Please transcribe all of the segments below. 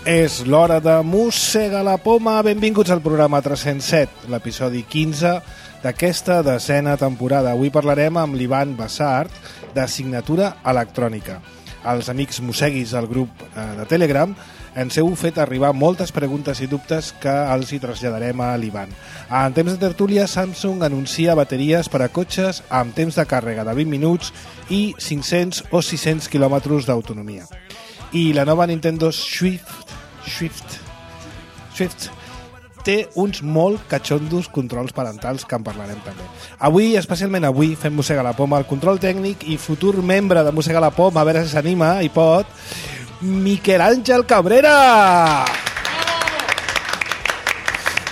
És l'hora de Mossega la Poma. Benvinguts al programa 307, l'episodi 15 d'aquesta desena temporada. Avui parlarem amb l'Ivan Bassart, de Signatura Electrònica. Els amics mosseguis del grup de Telegram ens heu fet arribar moltes preguntes i dubtes que els hi traslladarem a l'Ivan. En temps de tertúlia, Samsung anuncia bateries per a cotxes amb temps de càrrega de 20 minuts i 500 o 600 quilòmetres d'autonomia. I la nova Nintendo Swift té uns molt catxondos controls parentals que en parlarem també. Avui, especialment avui, fem Mossega la Poma, el control tècnic i futur membre de Mossega la Poma, a veure si s'anima i pot, Miquel Àngel Cabrera!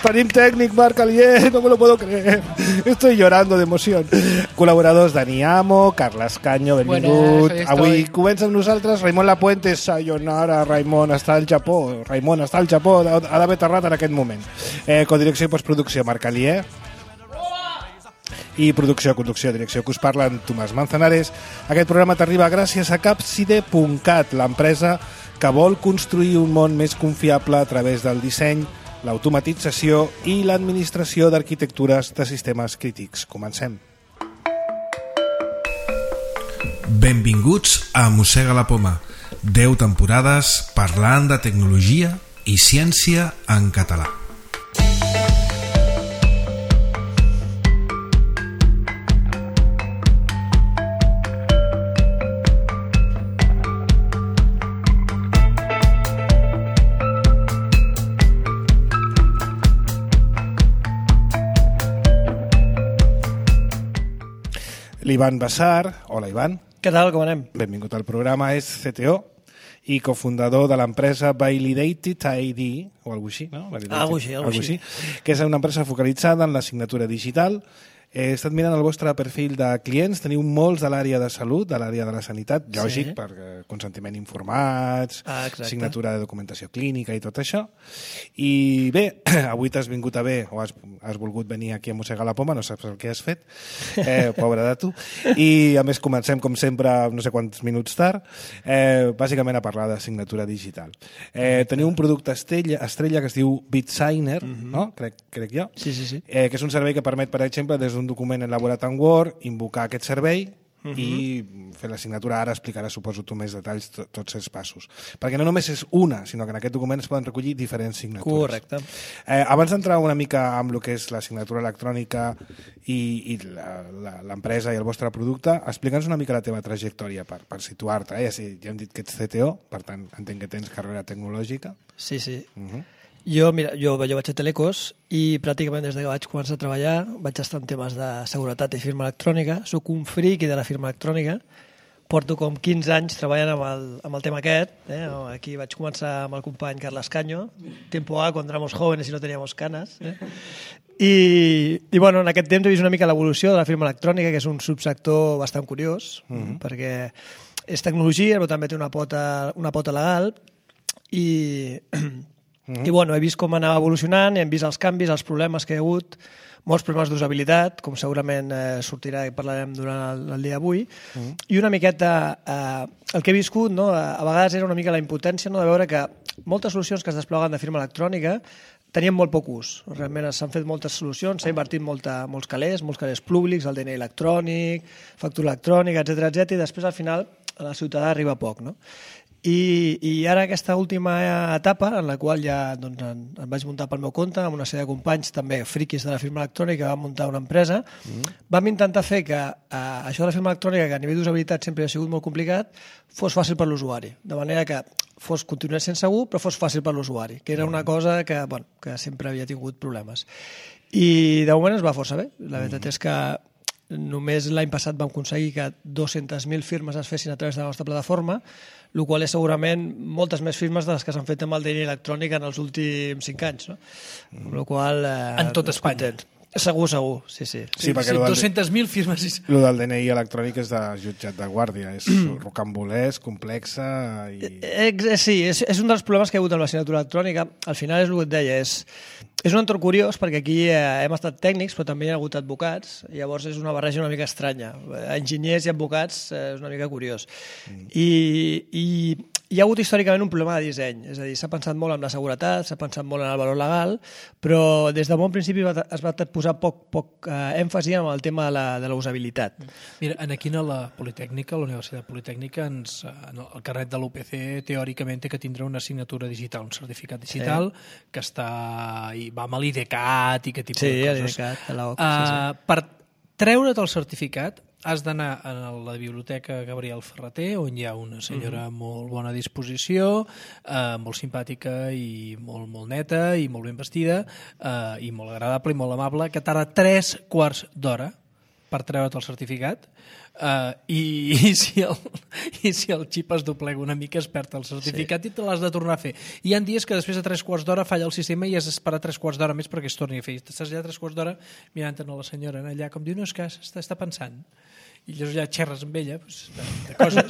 Tenim tècnic, Marc Alier, no me lo puedo creer. Estoy llorando de emoción. Col·laboradors Dani Amo, Carles Canyo, benvingut. Buenas, avui comença amb nosaltres Raimon Lapuente. Sayonara, Raimon està al Japó. Raimon està al Japó, ha d'haver aterrat en aquest moment. Codirecció i postproducció, Marc Alier. I producció, conducció, direcció, que us parlen Tomàs Manzanares. Aquest programa t'arriba gràcies a Capside.cat, l'empresa que vol construir un món més confiable a través del disseny, l'automatització i l'administració d'arquitectures de sistemes crítics. Comencem. Benvinguts a Mossega la Poma. 10 temporades parlant de tecnologia i ciència en català. L'Ivan Bassart. Hola, Ivan. Què tal, com anem? Benvingut al programa. És CTO i cofundador de l'empresa Validated ID, o alguna així, no? Algo així. Que és una empresa focalitzada en la signatura digital. He estat mirant el vostre perfil de clients, teniu molts de l'àrea de salut, de l'àrea de la sanitat, lògic, Sí. per consentiment informats, Exacte. signatura de documentació clínica i tot això. I bé, avui t'has vingut a bé, o has volgut venir aquí a Mossegar la Poma, no saps el que has fet, pobre de tu. I a més comencem, com sempre, no sé quants minuts tard, bàsicament a parlar de signatura digital. Teniu un producte estrella que es diu BitSigner, no? Crec jo. Sí. Que és un servei que permet, per exemple, des d'un document elaborat en Word, invocar aquest servei i fer la signatura. Ara explicarà, suposo, tu més detalls tots els passos. Perquè no només és una, sinó que en aquest document es poden recollir diferents signatures. Correcte. Abans d'entrar una mica amb el que és la signatura electrònica i l'empresa i el vostre producte, explica'ns una mica la teva trajectòria per situar-te. Ja hem dit que ets CTO, per tant, entenc que tens carrera tecnològica. Sí. Jo vaig a Telecos i pràcticament des que vaig començar a treballar vaig estar en temes de seguretat i firma electrònica. Soc un friki de la firma electrònica. Porto com 15 anys treballant amb el tema aquest. Aquí vaig començar amb el company Carles Canyo, tiempo A, quan éramos jóvenes i no teníamos canas. I bueno, en aquest temps he vist una mica l'evolució de la firma electrònica, que és un subsector bastant curiós, perquè és tecnologia, però també té una pota legal i bueno, he vist com anava evolucionant, hem vist els canvis, els problemes que hi ha hagut, molts problemes d'usabilitat, com segurament sortirà i parlarem durant el dia d'avui, i una miqueta el que he viscut, no? A vegades era una mica la impotència, no? De veure que moltes solucions que es despleguen de firma electrònica tenien molt poc ús. Realment s'han fet moltes solucions, s'ha invertit molts calés públics, el DNI electrònic, factura electrònica, etc, i després al final a la ciutadà arriba poc, no? I ara aquesta última etapa, en la qual ja em vaig muntar pel meu compte, amb una sèrie de companys també friquis de la firma electrònica, vam muntar una empresa, vam intentar fer que això de la firma electrònica, que a nivell d'usabilitat sempre ha sigut molt complicat, fos fàcil per l'usuari, de manera que continués sent segur, però fos fàcil per l'usuari, que era una cosa que sempre havia tingut problemes. I de moment es va força bé. La veritat és que només l'any passat vam aconseguir que 200.000 firmes es fessin a través de la nostra plataforma, el qual és segurament moltes més firmes de les que s'han fet amb el DNI electrònic en els últims 5 anys. No? Amb la qual en tot Espanya. Segur, sí. Sí, perquè 200.000 firmes. El del DNI electrònic és de jutjat de guàrdia, és rocambolès, complexa i... Sí, és un dels problemes que hi ha hagut amb la signatura electrònica. Al final és el que et deia, és un entorn curiós perquè aquí hem estat tècnics però també hi ha hagut advocats, llavors és una barreja una mica estranya. Enginyers i advocats és una mica curiós. I hi ha hagut històricament un problema de disseny, és a dir, s'ha pensat molt en la seguretat, s'ha pensat molt en el valor legal, però des de bon principi es va posar poc èmfasi en el tema de la usabilitat. Mira, aquí a la Politècnica, a la Universitat Politècnica, el carnet de l'UPC teòricament té que tindre una assignatura digital, un certificat digital, que va amb l'IDCAT i aquest tipus de coses. l'IDCAT, de l'OC. Per treure't el certificat has d'anar a la biblioteca Gabriel Ferrater, on hi ha una senyora amb molt bona disposició, molt simpàtica i molt neta i molt ben vestida i molt agradable i molt amable, que tarda 3 quarts d'hora per treure't el certificat i si el xip es doblega una mica es perd el certificat i te l'has de tornar a fer. Hi ha dies que després de 3 quarts d'hora falla el sistema i has d'esperar 3 quarts d'hora més perquè es torni a fer. Estàs allà 3 quarts d'hora mirant a la senyora allà com diu, no, és que està pensant. I llavors ja xerres amb ella de coses.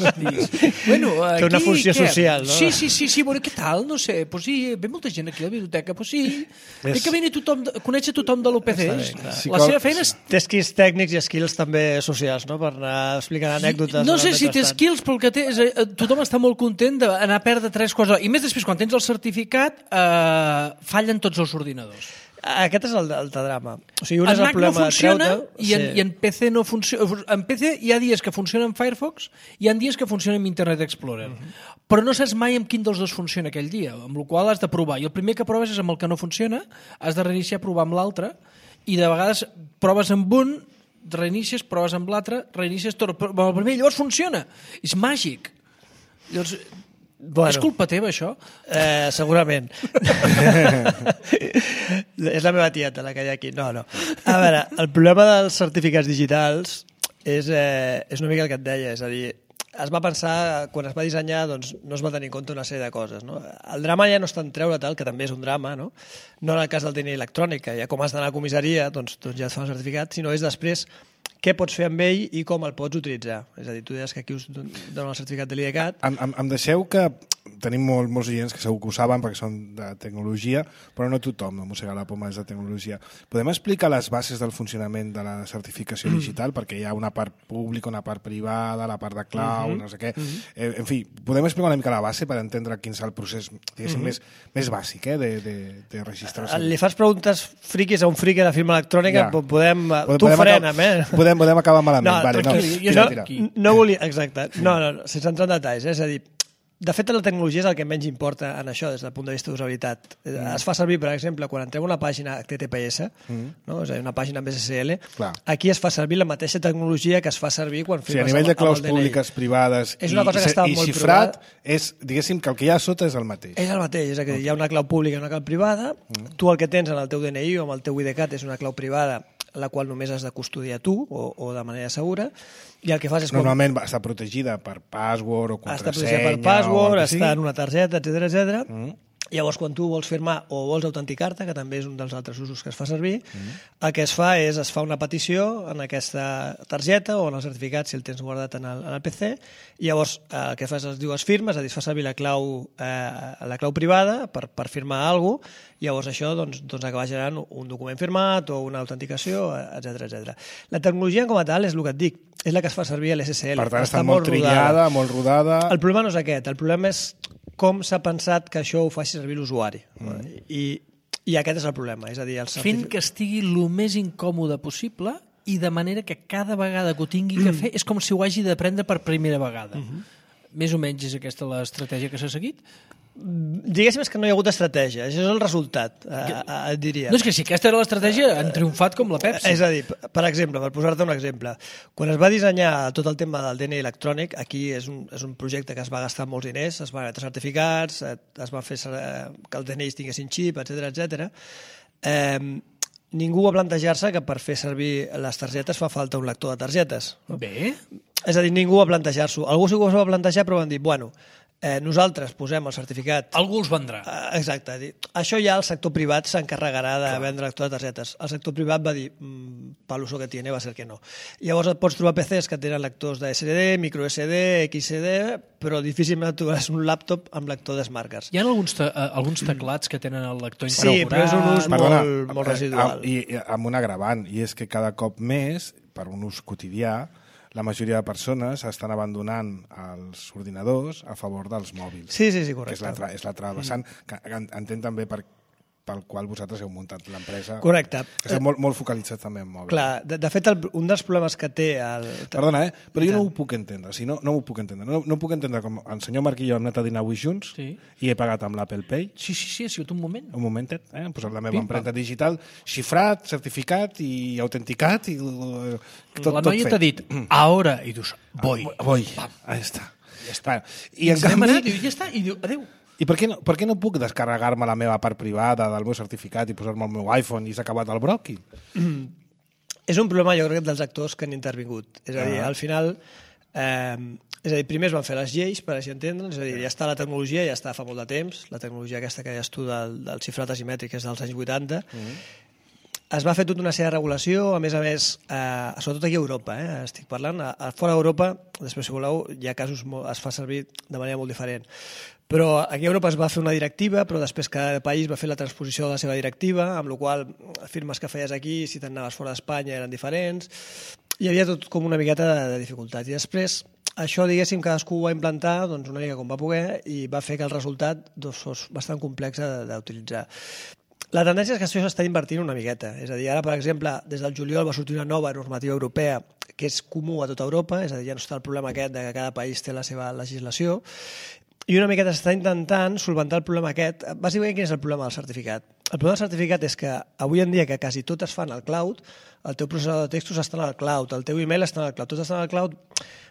Bueno, aquí, té una funció social, no? Sí, bueno, què tal? No sé, pues sí, ve molta gent aquí a la biblioteca, pues sí. Té que venir tothom, conèixer tothom de l'UPC. La seva feina és... Té skills tècnics i skills també socials, no? Per anar explicant anècdotes. No sé si té skills, però el que té és... Tothom està molt content d'anar a perdre 3 quarts d'hora. I més després, quan tens el certificat, fallen tots els ordinadors. Aquest és el drama. O sigui, un és el Mac problema no funciona de i en PC no funciona. En PC hi ha dies que funciona en Firefox i hi ha dies que funciona en Internet Explorer. Però no saps mai amb quin dels dos funciona aquell dia, amb la qual has de provar. I el primer que proves és amb el que no funciona, has de reiniciar, provar amb l'altre, i de vegades proves amb un, reinicies, proves amb l'altre, reinicies, però el primer llavors funciona. És màgic. Llavors... Bueno, és culpa teva, això? Segurament. És la meva tieta, la que hi ha aquí. No. A veure, el problema dels certificats digitals és una mica el que et deia, és a dir, es va pensar, quan es va dissenyar, doncs no es va tenir en compte una sèrie de coses. No? El drama ja no és tant treure tal, que també és un drama, no en el cas del DNI electrònic, que ja com has d'anar a comissaria, doncs ja et fa un certificat, sinó és després què pots fer amb ell i com el pots utilitzar. És a dir, tu deies que aquí us donen el certificat de l'IDCAT. Em deixeu que tenim molts oients que segur que ho saben perquè són de tecnologia, però no tothom de mossegar la poma és de tecnologia. Podem explicar les bases del funcionament de la certificació digital? Perquè hi ha una part pública, una part privada, la part de clau, no sé què. En fi, podem explicar una mica la base per entendre quin és el procés més bàsic de registració. Li fas preguntes friquis a un friqui de firma electrònica, tu frenem, Podem acabar malament. No volia... Exacte. No, sense entrar en detalls. És a dir, de fet, la tecnologia és el que menys importa en això des del punt de vista d'usabilitat. Es fa servir, per exemple, quan entrem a una pàgina HTTPS, no? És a dir, una pàgina amb SSL, aquí es fa servir la mateixa tecnologia que es fa servir quan firmes a nivell de claus públiques, privades i xifrat, diguéssim que el que hi ha a sota és el mateix. És el mateix, és a dir, hi ha una clau pública i una clau privada, tu el que tens en el teu DNI o amb el teu IDCAT és una clau privada la qual només has de custodiar tu o de manera segura, i el que fas és... Normalment està protegida per password o contrasenya... Està protegida per password, està en una targeta, etc. Llavors, quan tu vols firmar o vols autenticar-te, que també és un dels altres usos que es fa servir, el que es fa és es fa una petició en aquesta targeta o en el certificat, si el tens guardat en el PC, i llavors el que fas es diu es firma, és a dir, es fa servir la clau privada per firmar alguna cosa, i llavors això doncs acaba generant un document firmat o una autenticació, etc. La tecnologia com a tal és el que et dic, és la que es fa servir a l'SSL. Per tant, està molt trillada, molt rodada... El problema no és aquest, el problema és com s'ha pensat que això ho faci servir l'usuari. I aquest és el problema. És a dir, fent que estigui el més incòmode possible i de manera que cada vegada que ho tingui que fer és com si ho hagi d'aprendre per primera vegada. Més o menys és aquesta l'estratègia que s'ha seguit? Diguéssim que no hi ha hagut estratègia, això és el resultat, diria. No, és que si aquesta era l'estratègia, han triomfat com la Pepsi. És a dir, per exemple, per posar-te un exemple, quan es va dissenyar tot el tema del DNI electrònic, aquí és un projecte que es va gastar molts diners, es van emetre certificats, es va fer que els DNIs tinguessin xip, etc. Ningú va plantejar-se que per fer servir les targetes fa falta un lector de targetes. Bé. És a dir, ningú va plantejar-s'ho. Algú sí que ho va plantejar, però van dir, bueno, nosaltres posem el certificat... Algú els vendrà. Exacte. Això ja el sector privat s'encarregarà de vendre lector de targetes. El sector privat va dir, pel uso que tiene va ser que no. Llavors et pots trobar PCs que tenen lectors de SD, micro SD, XD, però difícilment trobaràs un laptop amb lector de Smart Cards. Hi ha alguns teclats que tenen el lector incorporat. Sí, però és un ús molt residual. I amb un agravant, i és que cada cop més, per un ús quotidià, la majoria de persones estan abandonant els ordinadors a favor dels mòbils. Sí, correcte. Que és l'altra vessant, que entenc també pel qual vosaltres heu muntat l'empresa. Correcte. Que esteu molt focalitzats també en mòbils. Clar, de fet, un dels problemes que té... Perdona, però jo no ho puc entendre. No ho puc entendre. No puc entendre com el senyor Marc i jo hem anat a dinar avui junts i he pagat amb l'Apple Pay. Sí, ha sigut un moment. Un momentet, hem posat la meva empremta digital, xifrat, certificat i autenticat i tot fet. La noia t'ha dit, ahora, i dius, voy. Ahí està. Ja està. I en canvi... Ja està, i diu, adéu. I per què no puc descarregar-me la meva part privada del meu certificat i posar-me el meu iPhone i s'ha acabat el broqui? És un problema, jo crec, dels actors que han intervingut. És a dir, al final... és a dir, primer es van fer les lleis, per així entendre'ns, és a dir, ja està la tecnologia, ja està fa molt de temps, la tecnologia aquesta que deies tu del xifrat asimètric és dels anys 80, es va fer tota una sèrie de regulació, a més, sobretot aquí a Europa, estic parlant, fora d'Europa, després si voleu, hi ha casos, es fa servir de manera molt diferent. Però aquí a Europa es va fer una directiva, però després cada país va fer la transposició de la seva directiva, amb la qual firmes que feies aquí, si te'n fora d'Espanya, eren diferents. Hi havia tot com una miqueta de dificultats. I després, això, diguéssim, cadascú ho va implantar una mica com va poder i va fer que el resultat fos bastant complex d'utilitzar. La tendència és que això s'està invertint una miqueta. És a dir, ara, per exemple, des del juliol va sortir una nova normativa europea que és comú a tota Europa, és a dir, ja no està el problema aquest de que cada país té la seva legislació, i una miqueta s'està intentant solventar el problema aquest. Bàsicament, quin és el problema del certificat? El problema del certificat és que avui en dia que quasi tot es fa en el cloud, el teu processador de textos està en el cloud, el teu email està en el cloud, tot està en el cloud,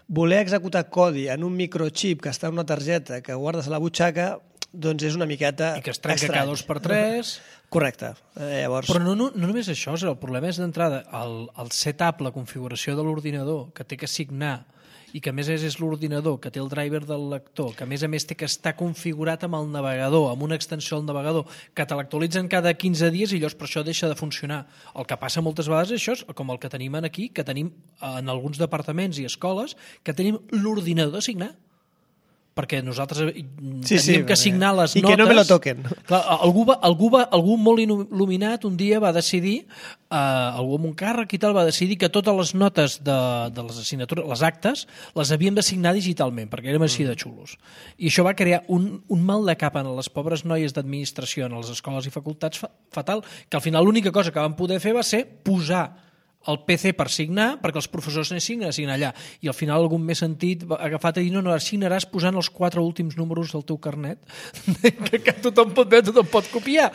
voler executar codi en un microchip que està en una targeta que guardes a la butxaca, doncs és una miqueta i que es trenca cada 2x3. Correcte. Llavors... Però no només això, el problema és d'entrada el setup, la configuració de l'ordinador, que té que signar, i que a més és l'ordinador, que té el driver del lector, que a més té que estar configurat amb el navegador, amb una extensió al navegador, que te l'actualitzen cada 15 dies i llavors per això deixa de funcionar. El que passa moltes vegades és això, com el que tenim aquí, que tenim en alguns departaments i escoles, que tenim l'ordinador de signar. Perquè nosaltres tenim que signar les notes... I que no me lo toquen. Clar, algú molt il·luminat un dia va decidir, algú amb un càrrec i tal, va decidir que totes les notes de les assignatures, les actes, les havíem de signar digitalment, perquè érem així de xulos. I això va crear un mal de cap en les pobres noies d'administració en les escoles i facultats fatal, que al final l'única cosa que van poder fer va ser posar el PC per signar, perquè els professors anessin allà. I al final algun més sentit ha agafat a dir, no, signaràs posant els 4 últims números del teu carnet, que tothom pot veure, tothom pot copiar.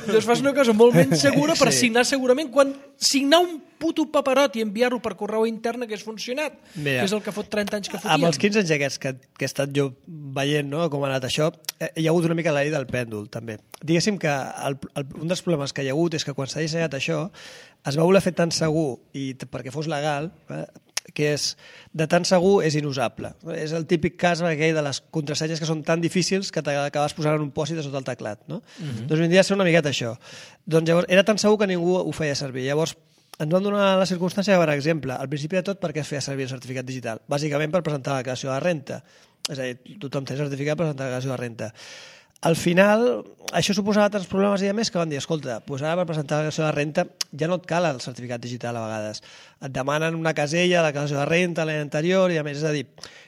Doncs fas una cosa molt menys segura per signar segurament quan signar un puto paperot i enviar-ho per correu intern hagués funcionat, que és el que fot 30 anys que fotíem. Amb els 15 anys aquests que he estat jo veient, no, com ha anat això, hi ha hagut una mica la llei del pèndol, també. Diguéssim que un dels problemes que hi ha hagut és que quan s'ha dissenyat això es va voler fer tan segur i perquè fos legal, que és de tan segur és inusable. És el típic cas aquell de les contrasenyes que són tan difícils que t'acabes posant en un pòsit a sota el teclat. No? Doncs vindria a ser una miqueta això. Doncs llavors era tan segur que ningú ho feia servir. Llavors ens van donar la circumstància, per exemple, al principi de tot, per què es feia servir el certificat digital? Bàsicament per presentar la declaració de renta. És a dir, tothom té certificat per presentar la declaració de renta. Al final, això suposava tants problemes i a més que van dir, escolta, doncs ara per presentar la declaració de renta ja no et cal el certificat digital a vegades. Et demanen una casella, la declaració de renta, l'any anterior, i a més, és a dir,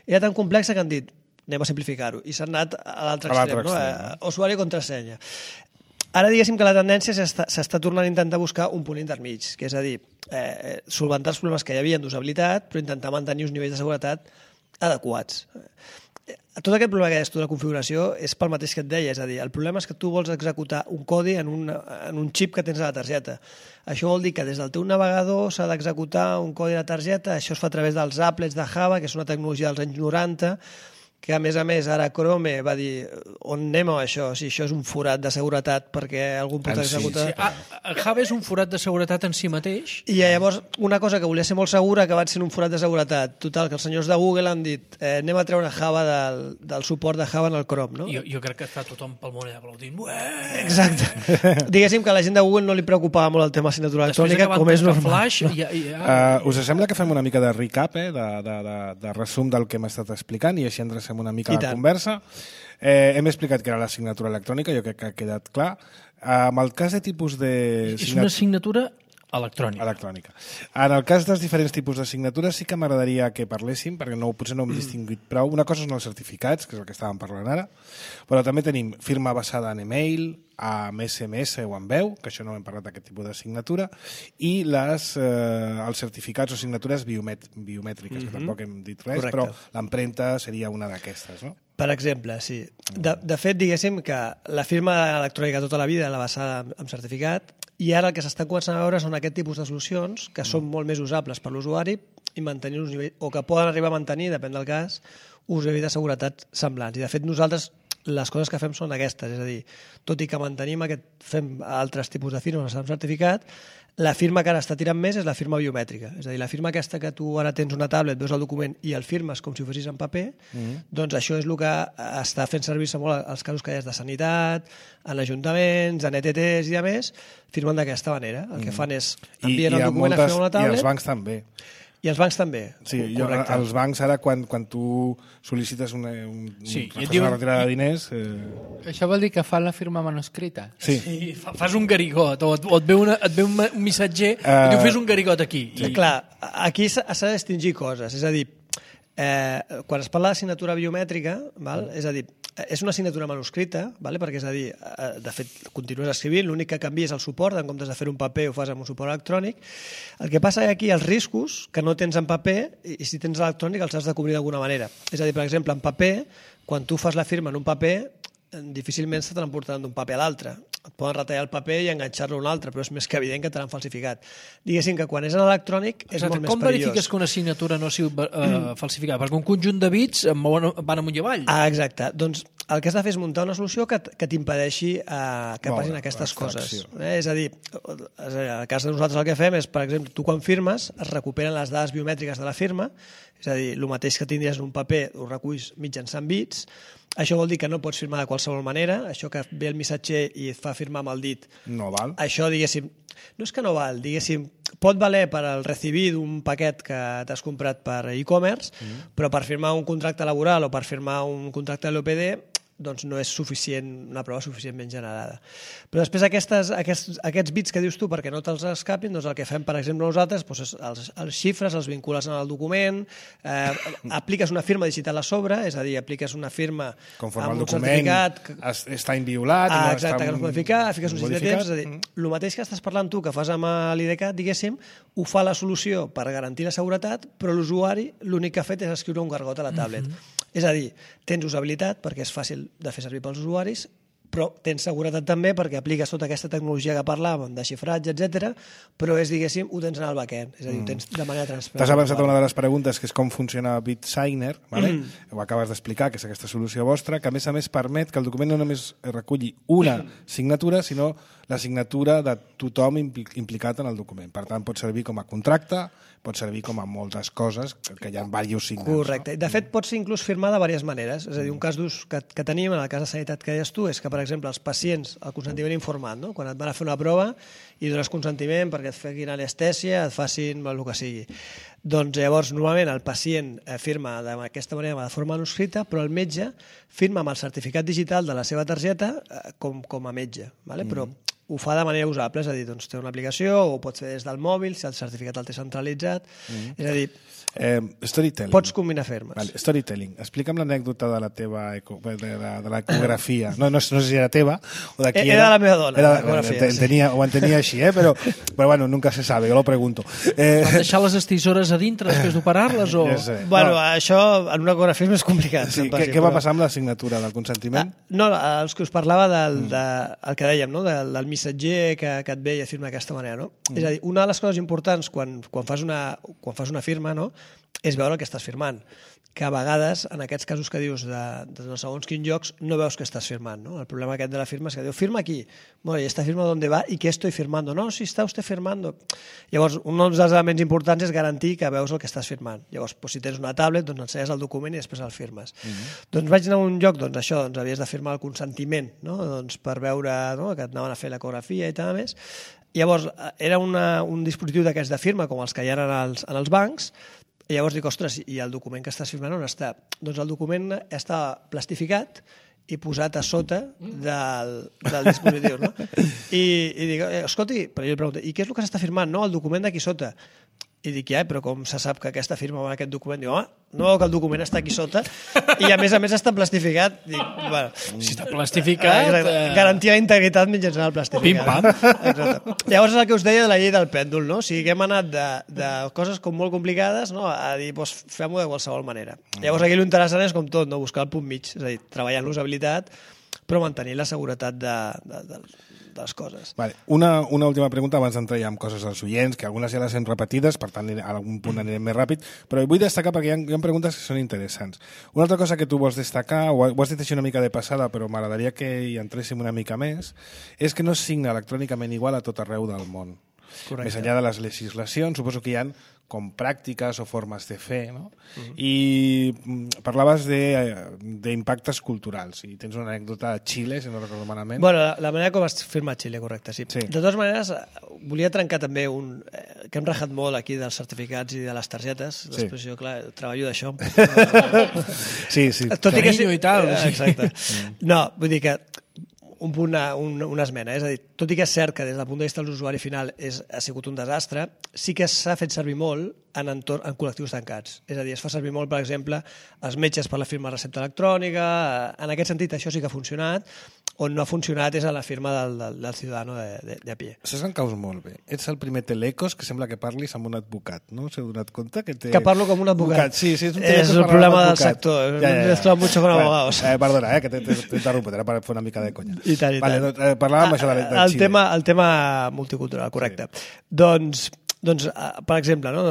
era tan complexa que han dit, anem a simplificar-ho, i s'han anat a l'altre extrem, no? Usuari i contrasenya. Ara diguéssim que la tendència s'està tornant a intentar buscar un punt intermig, que és a dir, solventar els problemes que hi havia d'usabilitat, però intentar mantenir uns nivells de seguretat adequats. Tot aquest problema que deies tu de la configuració és pel mateix que et deia, és a dir, el problema és que tu vols executar un codi en un xip que tens a la targeta. Això vol dir que des del teu navegador s'ha d'executar un codi a la targeta, això es fa a través dels applets de Java, que és una tecnologia dels anys 90, que a més ara Chrome va dir on anem amb això, si això és un forat de seguretat perquè algun pot executar... Java és un forat de seguretat en si mateix. I llavors una cosa que volia ser molt segura que va ser un forat de seguretat. Total, que els senyors de Google han dit anem a treure Java del suport de Java en el Chrome, no? Jo crec que està tothom pel món allà aplaudint. Exacte. Diguéssim que a la gent de Google no li preocupava molt el tema assignatura electrònica, com és normal. Us sembla que fem una mica de recap, de resum del que hem estat explicant i així endrecem una mica la conversa. Hem explicat que era l'assignatura electrònica, jo crec que ha quedat clar. Amb el cas de tipus de... És una assignatura electrònica. En el cas dels diferents tipus de signatures sí que m'agradaria que parléssim, perquè potser no hem distinguit prou. Una cosa són els certificats, que és el que estàvem parlant ara, però també tenim firma basada en email, amb SMS o en veu, que això no hem parlat d'aquest tipus de signatura, i els certificats o signatures biomètriques, que tampoc hem dit res, però l'empremta seria una d'aquestes, no? Per exemple, sí. De fet, diguéssim que la firma electrònica tota la vida la basada en certificat, i ara el que s'estan començant a veure són aquest tipus de solucions que són molt més usables per l'usuari i mantenir uns nivells, o que poden arribar a mantenir, depèn del cas, uns nivells de seguretat semblants. I de fet nosaltres les coses que fem són aquestes, és a dir, tot i que fem altres tipus de firmes amb certificat, la firma que ara està tirant més és la firma biomètrica. És a dir, la firma aquesta que tu ara tens una tablet, veus el document i el firmes com si ho fessis en paper, doncs això és el que està fent servir-se molt als casos que hi ha de sanitat, en ajuntaments, en ETTs i a més, firmen d'aquesta manera. El que fan és envien el document a fer una tablet. I els bancs també. I els bancs també. Sí, els bancs ara, quan tu sol·licites una retirada de diners... Això vol dir que fa la firma manuscrita? Sí, fas un garigot, o et ve un missatger i tu fes un garigot aquí. Sí. Clar, aquí s'ha de distingir coses, és a dir, quan es parla de signatura biomètrica, és a dir, és una signatura manuscrita, perquè és a dir, de fet, continues escrivint, l'únic que canvia és el suport, en comptes de fer un paper ho fas amb un suport electrònic. El que passa aquí, els riscos que no tens en paper, i si tens electrònic els has de cobrir d'alguna manera. És a dir, per exemple, en paper, quan tu fas la firma en un paper, difícilment se te l'emportaran d'un paper a l'altre. Et poden retallar el paper i enganxar-lo a un altre, però és més que evident que te l'han falsificat. Diguéssim que quan és en electrònic és molt més perillós. Com verifiques que una signatura no ha sigut falsificada? Perquè un conjunt de bits van amunt i avall. Exacte. Doncs el que has de fer és muntar una solució que t'impedeixi que passin aquestes coses. És a dir, en el cas de nosaltres el que fem és, per exemple, tu quan firmes es recuperen les dades biomètriques de la firma, és a dir, el mateix que tindries en un paper ho reculls mitjançant bits. Això vol dir que no pots firmar de qualsevol manera, això que ve el missatger i et fa firmar amb el dit. No val. Això, diguéssim, no és que no val, diguéssim, pot valer per al recibir d'un paquet que t'has comprat per e-commerce, però per firmar un contracte laboral o per firmar un contracte de l'OPD doncs no és suficient, una prova suficientment generada. Però després aquests bits que dius tu, perquè no te'ls escapin, doncs el que fem, per exemple, nosaltres, doncs els xifres els vincules en el document, apliques una firma digital a sobre, és a dir, apliques una firma amb un certificat... Està inviolat... Exacte, que no es pot ficar, fiques un seguit de temps, és a dir, el mateix que estàs parlant tu, que fas amb l'IDCAT, diguéssim, ho fa la solució per garantir la seguretat, però l'usuari l'únic que ha fet és escriure un gargot a la tablet. És a dir, tens usabilitat perquè és fàcil de fer servir pels usuaris, però tens seguretat també perquè apliques tota aquesta tecnologia que parlàvem, de xifratge, etc. però és, diguéssim, ho tens en el backend, és a dir, ho tens de manera transparent. T'has avançat a una de les preguntes, que és com funciona BitSigner, ho acabes d'explicar, que és aquesta solució vostra, que a més permet que el document no només reculli una signatura, sinó la signatura de tothom implicat en el document. Per tant, pot servir com a contracte, pot servir com a moltes coses, que hi ha diversos signes. Correcte. De fet, pot ser inclús firmar de diverses maneres. És a dir, un cas d'ús que tenim, en el cas de sanitat que deies tu, és que, per exemple, els pacients, el consentiment informat, no? Quan et van a fer una prova i dones consentiment perquè et fequin anestèsia, et facin el que sigui. Doncs llavors, normalment, el pacient firma d'aquesta manera, de forma manuscrita, però el metge firma amb el certificat digital de la seva targeta com a metge. Però ho fa de manera usable, és a dir, doncs té una aplicació o ho pots fer des del mòbil, si el certificat el té centralitzat. És a dir, storytelling. Pots combinar firmes. Vale, storytelling. Explica'm l'anècdota de la teva de l'ecografia. No sé si era teva o de qui era. Era de la meva dona, l'ecografia. Ho entenia així, però bueno, nunca se sabe, jo lo pregunto. Van deixar les estissores a dintre després d'operar-les? O... Bueno, això en una ecografia és més complicat. Sí, què va passar amb la signatura del consentiment? No, els que us parlava el que dèiem, no? Del missatger que et ve i et firma d'aquesta manera, no? És a dir, una de les coses importants quan fas una firma, no?, és veure el que estàs firmant, que a vegades, en aquests casos que dius de no segons quins llocs, no veus que estàs firmant, no? El problema aquest de la firma és que diu, firma aquí, bueno, ¿y esta firma dónde va? ¿Y qué estoy firmando? No, si està usted firmando. Llavors, un dels elements importants és garantir que veus el que estàs firmant. Llavors, si tens una tablet, doncs ensenyes el document i després el firmes. Doncs vaig anar a un lloc, doncs això, doncs havies de firmar el consentiment, no? Doncs per veure, no?, que et anaven a fer l'ecografia i tal més. Llavors, era un dispositiu d'aquests de firma, com els que hi ha en els bancs. I llavors dic, ostres, i el document que estàs firmant on està? Doncs el document està plastificat i posat a sota del dispositiu, no? I dic, escolti, però jo li pregunto, i què és el que s'està firmant? No, el document d'aquí sota. I dic, però com se sap que aquesta firma va en aquest document? Diu, no, que el document està aquí sota i a més està plastificat. Dic, bueno, si està plastificat... Garantia d'integritat mitjançant el plastificat. Pim-pam. Llavors és el que us deia de la llei del pèndol, no? O sigui, que hem anat de coses com molt complicades, no? A dir, doncs fem-ho de qualsevol manera. Llavors aquí l'interessant és com tot, no? Buscar el punt mig, és a dir, treballar en l'usabilitat però mantenir la seguretat de les coses. Vale. Una última pregunta abans d'entrar ja amb coses dels oients, que algunes ja les hem repetides, per tant a algun punt anirem més ràpid, però vull destacar perquè hi ha preguntes que són interessants. Una altra cosa que tu vols destacar, ho has dit així una mica de passada, però m'agradaria que hi entréssim una mica més, és que no es signa electrònicament igual a tot arreu del món. Correcte. Més enllà de les legislacions, suposo que hi ha com pràctiques o formes de fer, no? I parlaves d'impactes culturals, i tens una anècdota a Xile, si no recordo malament. Bueno, la manera com es firma a Xile, correcte, sí. De totes maneres, volia trencar també que hem rajat molt aquí dels certificats i de les targetes, després jo, clar, treballo d'això. Sí. Carinyo i tal. Exacte. No, vull dir que una esmena, és a dir, tot i que és cert que des del punt de vista de l'usuari final ha sigut un desastre, sí que s'ha fet servir molt en col·lectius tancats. És a dir, es fa servir molt, per exemple, els metges per la firma de recepta electrònica, en aquest sentit això sí que ha funcionat, on no ha funcionat és a la firma del ciutadano de a pie. Saps que em caus molt bé. Ets el primer telecos que sembla que parlis amb un advocat, no? Us heu donat compte? Que parlo com un advocat. Sí, és un és el problema del sector. Ens trobem mucho con abogados. Perdona, que t'he interromput, era per fer una mica de conya. I tant. Vale, parlàvem això de Xile. El tema multicultural, correcte. Doncs, per exemple, no?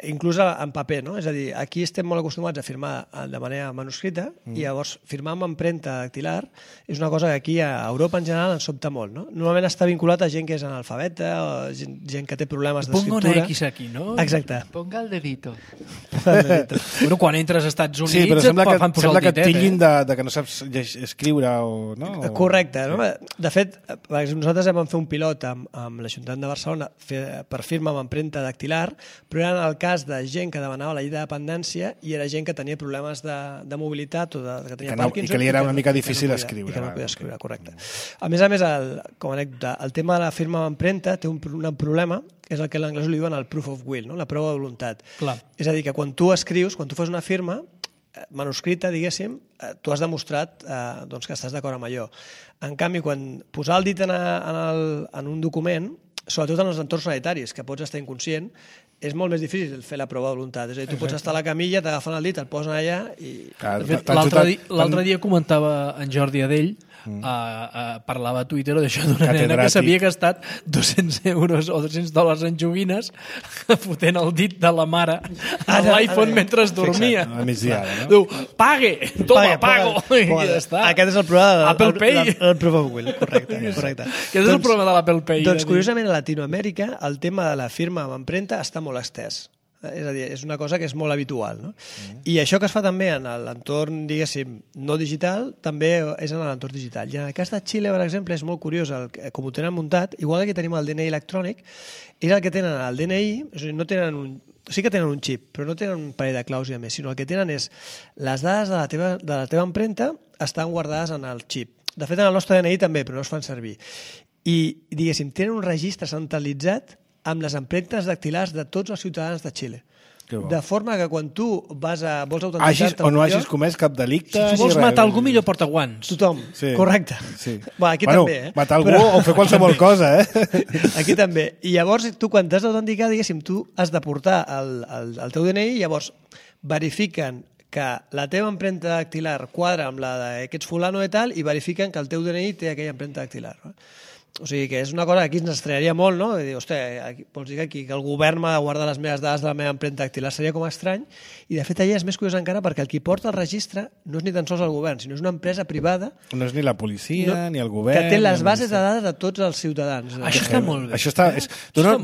Inclús en paper, no? És a dir, aquí estem molt acostumats a firmar de manera manuscrita i llavors firmar amb empremta dactilar és una cosa que aquí a Europa en general ens sobta molt, no? Normalment està vinculat a gent que és analfabeta o gent que té problemes d'escriptura. Ponga una X aquí, no? Exacte. Ponga el dedito. Bueno, quan entres als Estats Units sí, però sembla fan posar el que ditet. et titllin de que no saps escriure o... no? Correcte. No? De fet, nosaltres vam fer un pilot amb l'Ajuntament de Barcelona per firma amb empremta dactilar, però era en el cas de gent que demanava la llei de dependència i era gent que tenia problemes de mobilitat o que tenia Parkinson. I que li era una mica difícil escriure. I que no podia escriure, correcte. A més, com a anècdota, el tema de la firma amb empremta té un problema, que és el que en anglès li diuen el proof of will, no? La prova de voluntat. Clar. És a dir, que quan tu escrius, quan tu fas una firma manuscrita, diguéssim, tu has demostrat que estàs d'acord amb allò. En canvi, quan posar el dit en un document, sobretot en els entorns sanitaris, que pots estar inconscient, és molt més difícil fer la prova de voluntat. És a dir, tu pots estar a la camilla, t'agafen el dit, el posen allà i... L'altre dia comentava en Jordi Adell, parlava a Twitter d'això d'una nena que s'havia gastat 200 euros o $200 en joguines fotent el dit de la mare a l'iPhone mentre es dormia. A migdia, no? Diu, pague, toma, pago. I ja està. Aquest és el problema Apple Pay. El proof of will, correcte. Aquest és el problema de l'Apple Pay. Doncs, curiosament, a Latinoamèrica el tema de la firma amb empremta està molt estès. És a dir, és una cosa que és molt habitual, no? I això que es fa també en l'entorn, diguéssim, no digital, també és en l'entorn digital. I en el cas de Xile, per exemple, és molt curiós com ho tenen muntat, igual que tenim el DNI electrònic, és el que tenen el DNI, és a dir, no tenen sí que tenen un xip, però no tenen un parell de claus i a més, sinó el que tenen és les dades de la teva empremta estan guardades en el xip. De fet, en el nostre DNI també, però no es fan servir. I, diguéssim, tenen un registre centralitzat amb les empremtes dactilars de tots els ciutadans de Xile. De forma que quan tu vols autenticar-te... O no hagis comès cap delicte... Si tu vols matar algú, millor porta guants. Tothom, correcte. Aquí també, matar algú o fer qualsevol cosa, Aquí també. I llavors, tu quan t'has d'autenticar, diguéssim, tu has de portar el teu DNI i llavors verifiquen que la teva empremta dactilar quadra amb la d'aquests fulano i tal i verifiquen que el teu DNI té aquella empremta dactilar. O sigui que és una cosa que aquí ens estranyaria molt, no? I dir, hòstia, vols dir que el govern m'ha de guardar les meves dades de la meva empremta dactilar? Seria com estrany. I de fet allà és més curiós encara perquè el qui porta el registre no és ni tan sols el govern, sinó és una empresa privada. No és ni la policia, ni el govern... Que té les bases de dades de tots els ciutadans. Això està molt bé. Això dona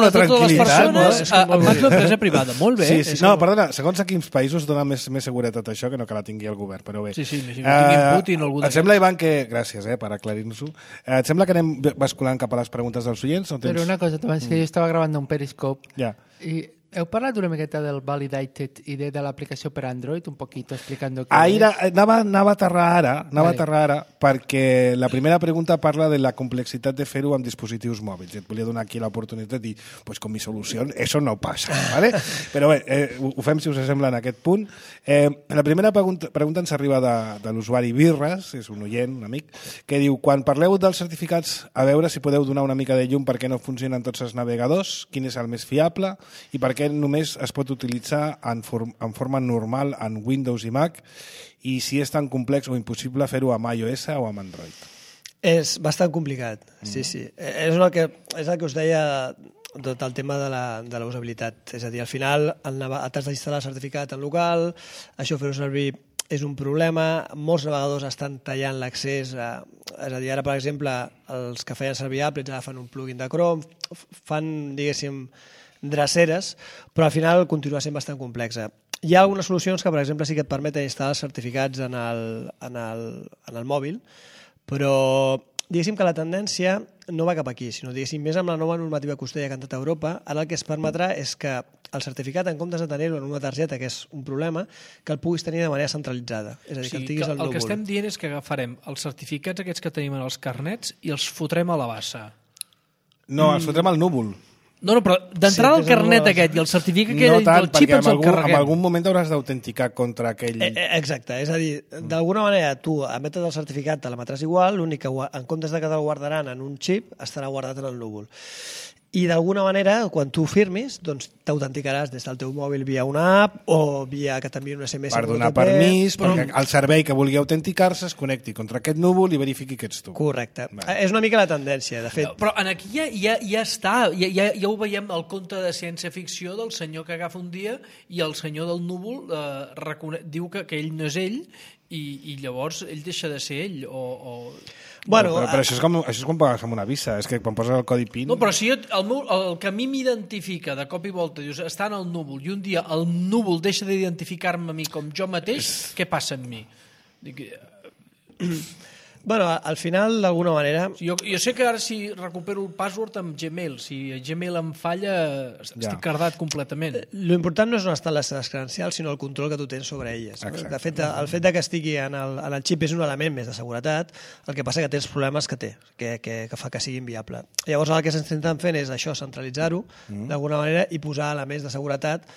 una tranquil·litat. En mans d'una empresa privada. Molt bé. No, perdona, segons a quins països dona més seguretat això que no que la tingui el govern, però bé. Sí, que tinguin Putin o algú d'aquest. Et sembla, Ivan, que... Gràcies, per aclarir-nos-ho. Et sembla que anem basculant cap a les preguntes dels oients? Pero una cosa, Tomás, que yo estaba grabando un Periscope y Heu parlat una miqueta del Validated i de l'aplicació per Android, un poquito explicando què és? Anava a aterrar ara, perquè la primera pregunta parla de la complexitat de fer-ho amb dispositius mòbils. Et volia donar aquí l'oportunitat de dir, pues con mi solució eso no passa, ¿vale? Però bé, ho fem si us sembla en aquest punt. La primera pregunta ens arriba de l'usuari Birres, és un oient, un amic, que diu, quan parleu dels certificats, a veure si podeu donar una mica de llum per què no funcionen tots els navegadors, quin és el més fiable i per què només es pot utilitzar en forma normal en Windows i Mac i si és tan complex o impossible fer-ho amb iOS o amb Android. És bastant complicat, sí. És el que us deia tot el tema de la usabilitat. És a dir, al final t'has d'instal·lar el certificat en local, això fer-ho servir és un problema, molts navegadors estan tallant l'accés, és a dir, ara per exemple els que feien servir Apple agafen un plugin de Chrome, fan, diguéssim, dreceres, però al final continua sent bastant complexa. Hi ha algunes solucions que, per exemple, sí que et permeten instal·lar certificats en el mòbil, però diguéssim que la tendència no va cap aquí, sinó diguéssim més amb la nova normativa que us deia que ha entrat a Europa, ara el que es permetrà és que el certificat, en comptes de tenir-ho en una targeta, que és un problema, que el puguis tenir de manera centralitzada. És a dir, que el tinguis al núvol. El que estem dient és que agafarem els certificats aquests que tenim en els carnets i els fotrem a la bassa. No, els fotrem al núvol. No, però d'entrada el carnet aquest i el certificat que del xip ens el carreguem. En algun moment hauràs d'autenticar contra aquell... Exacte, és a dir, d'alguna manera tu emetes el certificat, te l'emetràs igual, l'únic que en comptes de que te'l guardaran en un xip, estarà guardat en el núvol. I d'alguna manera, quan tu firmis, doncs t'autenticaràs des del teu mòbil via una app o via que t'enviï un SMS. Per donar permís, perquè el servei que vulgui autenticar-se es connecti contra aquest núvol i verifiqui que ets tu. Correcte. És una mica la tendència, de fet. Però aquí ja està, ja ho veiem al conte de ciència-ficció del senyor que agafa un dia i el senyor del núvol diu que ell no és ell i llavors ell deixa de ser ell Bueno, però això és com pagues amb una visa, és que quan poses el codi PIN... No, però si el que a mi m'identifica de cop i volta, dius, està en el núvol, i un dia el núvol deixa d'identificar-me a mi com jo mateix, què passa amb mi? Dic... Bueno, al final, d'alguna manera... Jo sé que ara si recupero el password amb Gmail, si Gmail em falla, estic cardat completament. L'important no és on estan les teves credencials, sinó el control que tu tens sobre elles. Exacte. De fet, el fet que estigui en el xip és un element més de seguretat, el que passa que té els problemes que té, que fa que sigui inviable. Llavors, el que s'intenten fent és això, centralitzar-ho d'alguna manera i posar elements de seguretat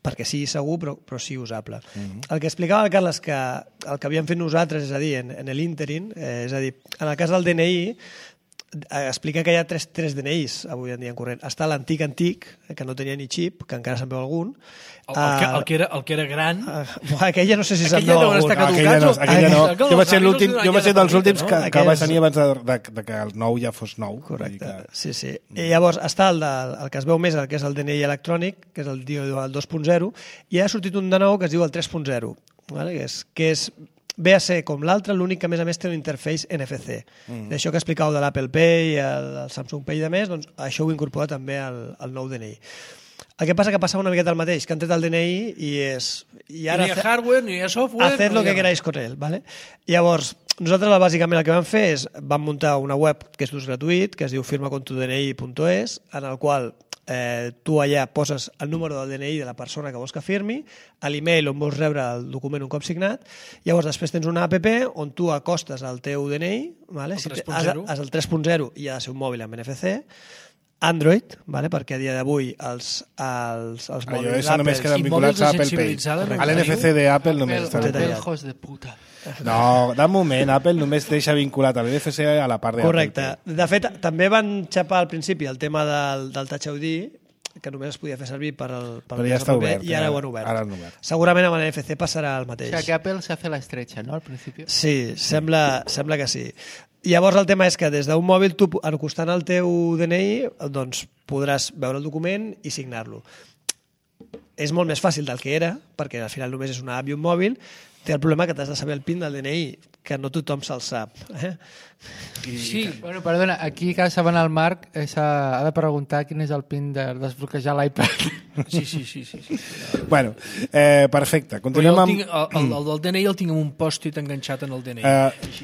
perquè sigui segur però sigui usable. El que explicava el Carles que el que havíem fet nosaltres, és a dir, en l'ínterin, és a dir, en el cas del DNI, explica que hi ha tres DNIs avui en dia en corrent. Està l'antic, que no tenia ni xip, que encara se'n veu algun. El que era gran... Aquella no sé si se'n veu algun. Aquella no. Jo vaig ser dels últims que vaig tenir abans que el nou ja fos nou. Correcte, sí. I llavors està el que es veu més, el que és el DNI electrònic, que és el 2.0, i ha sortit un de nou que es diu el 3.0, que és ve a ser com l'altre, l'únic que a més té un interface NFC. D'això que explicàveu de l'Apple Pay, el Samsung Pay i de més, doncs això ho incorpora també al nou DNI. El que passa que passava una miqueta el mateix, que han tret el DNI i és... Ni hi ha hardware, ni hi ha software... Haced lo que queráis con él, ¿vale? Llavors, nosaltres bàsicament el que vam fer és vam muntar una web que és d'ús gratuït, que es diu firmacontudni.es, en el qual tu allà poses el número del DNI de la persona que vols que firmi, l'email on vols rebre el document un cop signat, llavors després tens una app on tu acostes el teu DNI, vale? El 3.0. És el 3.0 i ha de ser un mòbil amb NFC, Android, vale? Perquè a dia d'avui els mòbils Apple només queden vinculats a Apple Pay. A l'NFC d'Apple només està vinculat. Hijos de puta. No, de moment, Apple només deixa vinculat a l'NFC a la part d'Apple. Correcte. De fet, també van xapar al principi el tema del Touch ID, que només es podia fer servir per però ja està obert. I ara ho han obert. Segurament amb l'NFC passarà el mateix. O sigui que Apple s'ha fet l'estretxa, no, al principi? Sí, sembla que sí. Llavors el tema és que des d'un mòbil tu, acostant el teu DNI, doncs podràs veure el document i signar-lo. És molt més fàcil del que era, perquè al final només és una app i un mòbil. Té el problema que t'has de saber el PIN del DNI, que no tothom se'l sap. Sí. Bueno, perdona, aquí cada setmana el Marc ha de preguntar quin és el PIN de desbloquejar l'iPad. Sí. Bueno, perfecte. Continuem amb... El del DNI el tinc amb un pòstit enganxat en el DNI.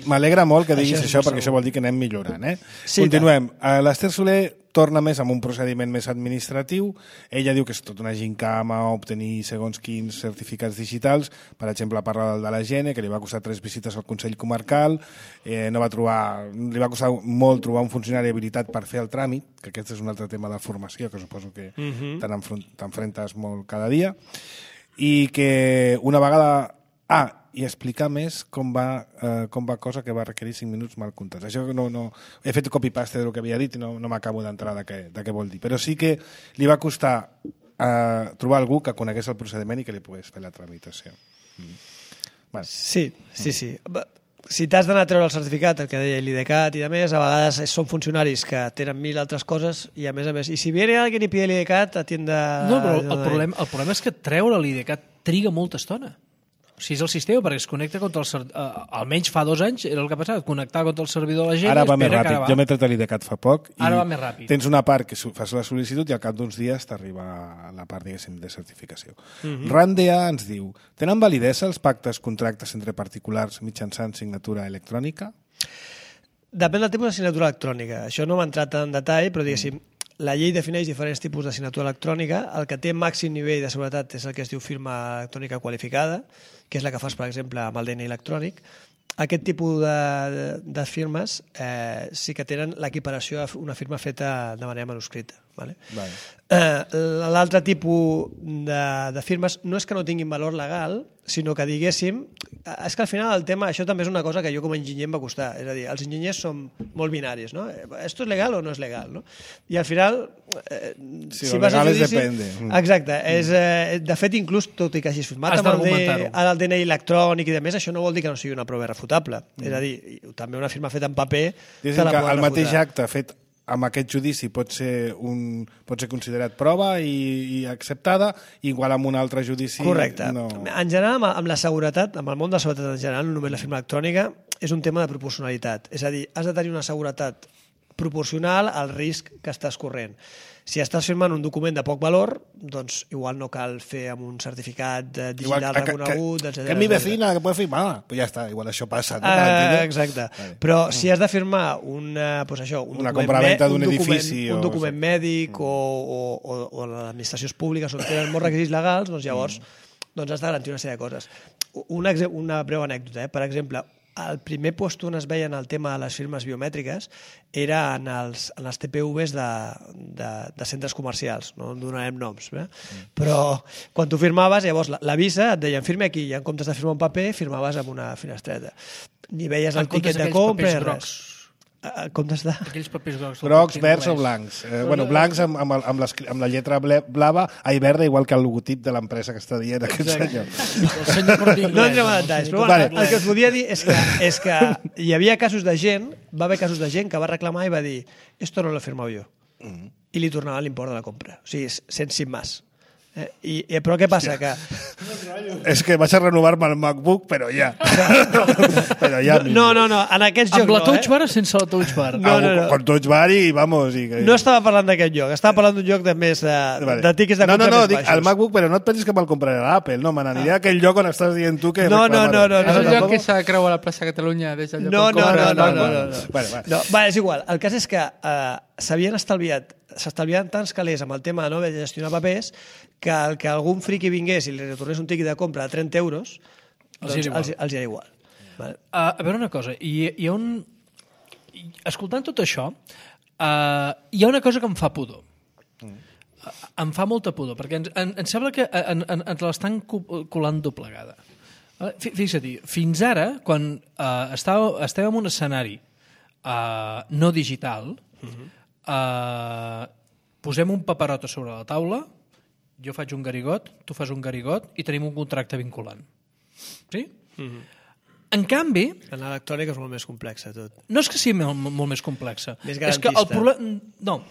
M'alegra molt que diguis això perquè això vol dir que anem millorant. Sí, continuem. L'Ester Soler torna més amb un procediment més administratiu. Ella diu que és tot una gincama obtenir segons quins certificats digitals. Per exemple, parla del de la Gene, que li va costar 3 visites al Consell Comarcal, li va costar molt trobar un funcionari habilitat per fer el tràmit, que aquest és un altre tema de formació, que suposo que t'enfrentes molt cada dia, i que una vegada... i explicar més com va cosa que va requerir 5 minuts mal comptats. Això no he fet copy-paste del que havia dit i no m'acabo d'entrar de què vol dir. Però sí que li va costar trobar algú que conegués el procediment i que li pogués fer la tramitació. Bueno. Sí. Si t'has d'anar a treure el certificat, el que deia l'IDCAT i de més, a vegades són funcionaris que tenen 1000 altres coses i a més, i si viene alguien y pide l'IDCAT, atiende... No, però el problema és que treure l'IDCAT triga molta estona. O sigui, és el sistema, perquè es connecta contra el almenys fa 2 anys era el que passava, connectar contra el servidor de la gent. Ara va més ràpid. Jo m'he tret l'IDCAT fa poc. Ara va més ràpid. Tens una part que fas la sol·licitud i al cap d'uns dies t'arriba la part, diguéssim, de certificació. RANDEA ens diu: tenen validesa els pactes contractes entre particulars mitjançant signatura electrònica? Depèn del tipus de signatura electrònica. Això no m'ha entrat en detall, però diguéssim, la llei defineix diferents tipus de signatura electrònica. El que té màxim nivell de seguretat és el que es diu firma electrònica qualificada, que és la que fas, per exemple, amb el DNI electrònic. Aquest tipus de firmes sí que tenen l'equiparació a una firma feta de manera manuscrita. Vale? L'altre tipus de firmes no és que no tinguin valor legal, sinó que diguéssim... És que al final el tema, això també és una cosa que jo com a enginyer em va costar. És a dir, els enginyers som molt binaris, no? Esto es legal o no és legal, no? I al final... si vas a judici... depende. Exacte. De fet, inclús, tot i que hagis firmat amb el DNI electrònic i demés, això no vol dir que no sigui una prova irrefutable. És a dir, també una firma feta en paper... Diguéssim que el mateix acte fet amb aquest judici pot ser considerat prova i acceptada, igual amb un altre judici... Correcte. No... En general, amb la seguretat, amb el món de la seguretat en general, no només la firma electrònica, és un tema de proporcionalitat. És a dir, has de tenir una seguretat proporcional al risc que estàs corrent. Si estàs firmant un document de poc valor, doncs igual no cal fer amb un certificat digital reconegut, etc. Que mi vecina que puede firmar, pues ja està, igual això passa. Exacte. Però si has de firmar una compraventa d'un edifici, un document mèdic o les administracions públiques on tenen molts requisits legals, doncs llavors has de garantir una sèrie de coses. Una breu anècdota. Per exemple, el primer lloc on es veien el tema de les firmes biomètriques era en els TPVs de centres comercials, no en donarem noms, però quan tu firmaves, llavors la Visa et deien firma aquí, i en comptes de firmar un paper, firmaves amb una finestreta. Ni veies el tiquet de compra, res. Comptes de... Aquells papers grocs. Grocs, verds o blancs. Blancs amb la lletra blava, verda, igual que el logotip de l'empresa que està dient aquest senyor. No entrem a detalls, però el que us volia dir és que hi havia casos de gent, va haver casos de gent que va reclamar i va dir esto no lo he firmado yo. I li tornava l'import de la compra. O sigui, sin más. Però què passa? És que vaig a renovar-me el MacBook, però ja. No, en aquests jocs no. Amb la Touch Bar o sense la Touch Bar? No. Con Touch Bar i vamos... No estava parlant d'aquest joc, estava parlant d'un joc de més de tiquets de compra més baixos. No, el MacBook, però no et pensis que me'l compraré a l'Apple, no, me n'aniré a aquell lloc on estàs dient tu que... No. És el lloc que s'ha creu a la plaça Catalunya des del lloc on compra. No, és igual. El cas és que s'estalviaven tants calés amb el tema de gestionar papers que el que algun friqui vingués i li retornés un tiquet de compra de 30 euros, doncs els era igual. A veure una cosa, escoltant tot això, hi ha una cosa que em fa pudor. Em fa molta pudor, perquè em sembla que ens l'estan colant doblegada. Fixa-t'hi, fins ara, quan estàvem en un escenari no digital, posem un paperot a sobre la taula, jo faig un garigot, tu fas un garigot i tenim un contracte vinculant. Sí? En canvi... En l'electrònica és molt més complexa, tot. No és que sigui molt més complexa. Més garantista. És que el problema... No.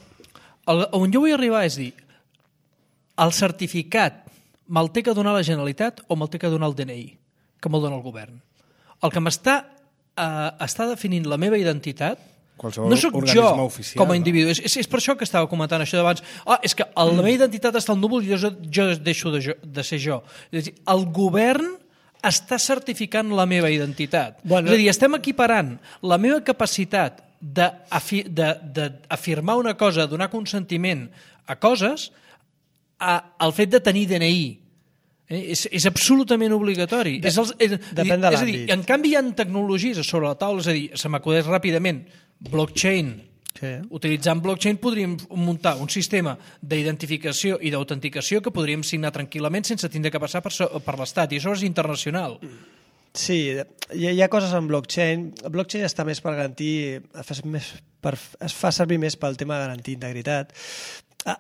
On jo vull arribar és dir, el certificat me'l té que donar la Generalitat o me'l té que donar el DNI, que me'l dona el govern. El que està definint la meva identitat no sóc jo com a individu. És per això que estava comentant això d'abans. És que la meva identitat està al núvol i jo deixo de ser jo. És a dir, el govern està certificant la meva identitat. És a dir, estem equiparant la meva capacitat d'afirmar una cosa, donar consentiment a coses, al fet de tenir DNI. És absolutament obligatori. Depèn de l'àmbit. En canvi, hi ha tecnologies sobre la taula, és a dir, se m'acudeix ràpidament, blockchain. Sí. Utilitzant blockchain podríem muntar un sistema d'identificació i d'autenticació que podríem signar tranquil·lament sense tindre que passar per l'Estat, i això és internacional. Sí, hi ha coses en blockchain. El blockchain està més per garantir, es fa servir més pel tema de garantir integritat.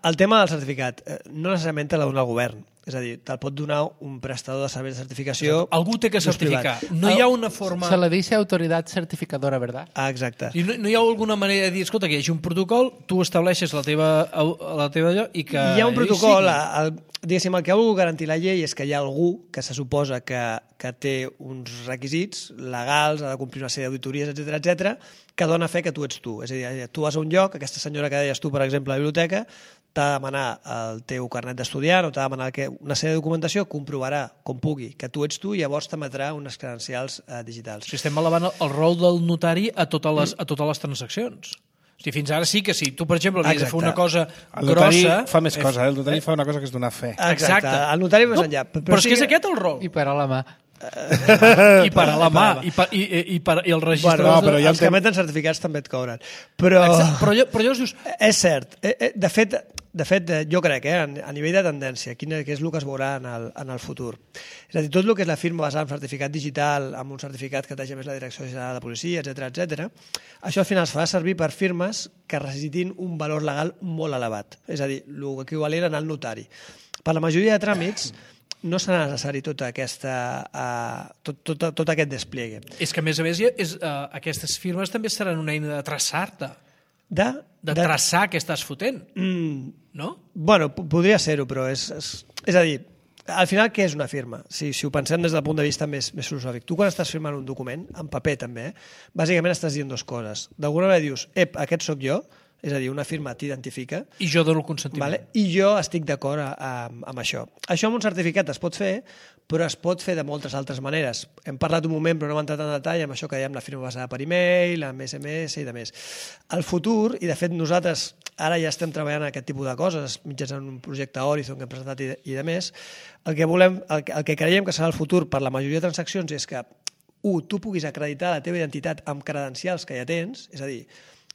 El tema del certificat no necessàriament te l'ha de donar el govern, és a dir, te'l pot donar un prestador de serveis de certificació. Algú té que certificar. No hi ha una forma... Se le dice autoridad certificadora, ¿verdad? Ah, exacte. I no hi ha alguna manera de dir, escolta, que hi hagi un protocol, tu estableixes la teva allò i que... Hi ha un protocol, diguéssim, el que ha volgut garantir la llei és que hi ha algú que se suposa que té uns requisits legals, ha de complir una sèrie d'auditories, etc, que dona fe que tu ets tu. És a dir, tu vas a un lloc, aquesta senyora que deies tu, per exemple, a la biblioteca, t'ha de demanar el teu carnet d'estudiant o t'ha de demanar una sèrie de documentació, comprovarà com pugui que tu ets tu i llavors t'emetrà unes credencials digitals. Si estem elevant el rol del notari a totes les transaccions. O sigui, fins ara sí que si tu, per exemple, havies de fer una cosa grossa... El notari fa més coses, el notari fa una cosa que és donar fe. Exacte. El notari més enllà. Però és que és aquest el rol. I parar la mà. I parar la mà. I el registrador... Bueno, però els que emeten certificats també et cobren. Però llavors dius... És cert. De fet, jo crec, a nivell de tendència, què és el que es veurà en el futur. És a dir, tot el que és la firma basada en certificat digital, amb un certificat que t'hagi més la Direcció General de Policia, etc, això al final es fa servir per firmes que necessitin un valor legal molt elevat. És a dir, l'equivalent en el notari. Per la majoria de tràmits no serà necessari tot aquest despliegue. És que, a més, aquestes firmes també seran una eina de traçar-te. De traçar què estàs fotent, no? Bueno, podria ser-ho, però és a dir, al final què és una firma? Si ho pensem des del punt de vista més filosòfic. Tu quan estàs firmant un document, en paper també, bàsicament estàs dient dues coses. D'alguna manera dius, aquest sóc jo, és a dir, una firma t'identifica. I jo dono el consentiment. I jo estic d'acord amb això. Això amb un certificat es pot fer, però es pot fer de moltes altres maneres. Hem parlat un moment, però no hem entrat en detall, amb això que dèiem la firma basada per e-mail, amb SMS i de més. El futur, i de fet nosaltres ara ja estem treballant en aquest tipus de coses, mitjançant un projecte Horizon que hem presentat i de més, el que creiem que serà el futur per la majoria de transaccions és que, tu puguis acreditar la teva identitat amb credencials que ja tens, és a dir,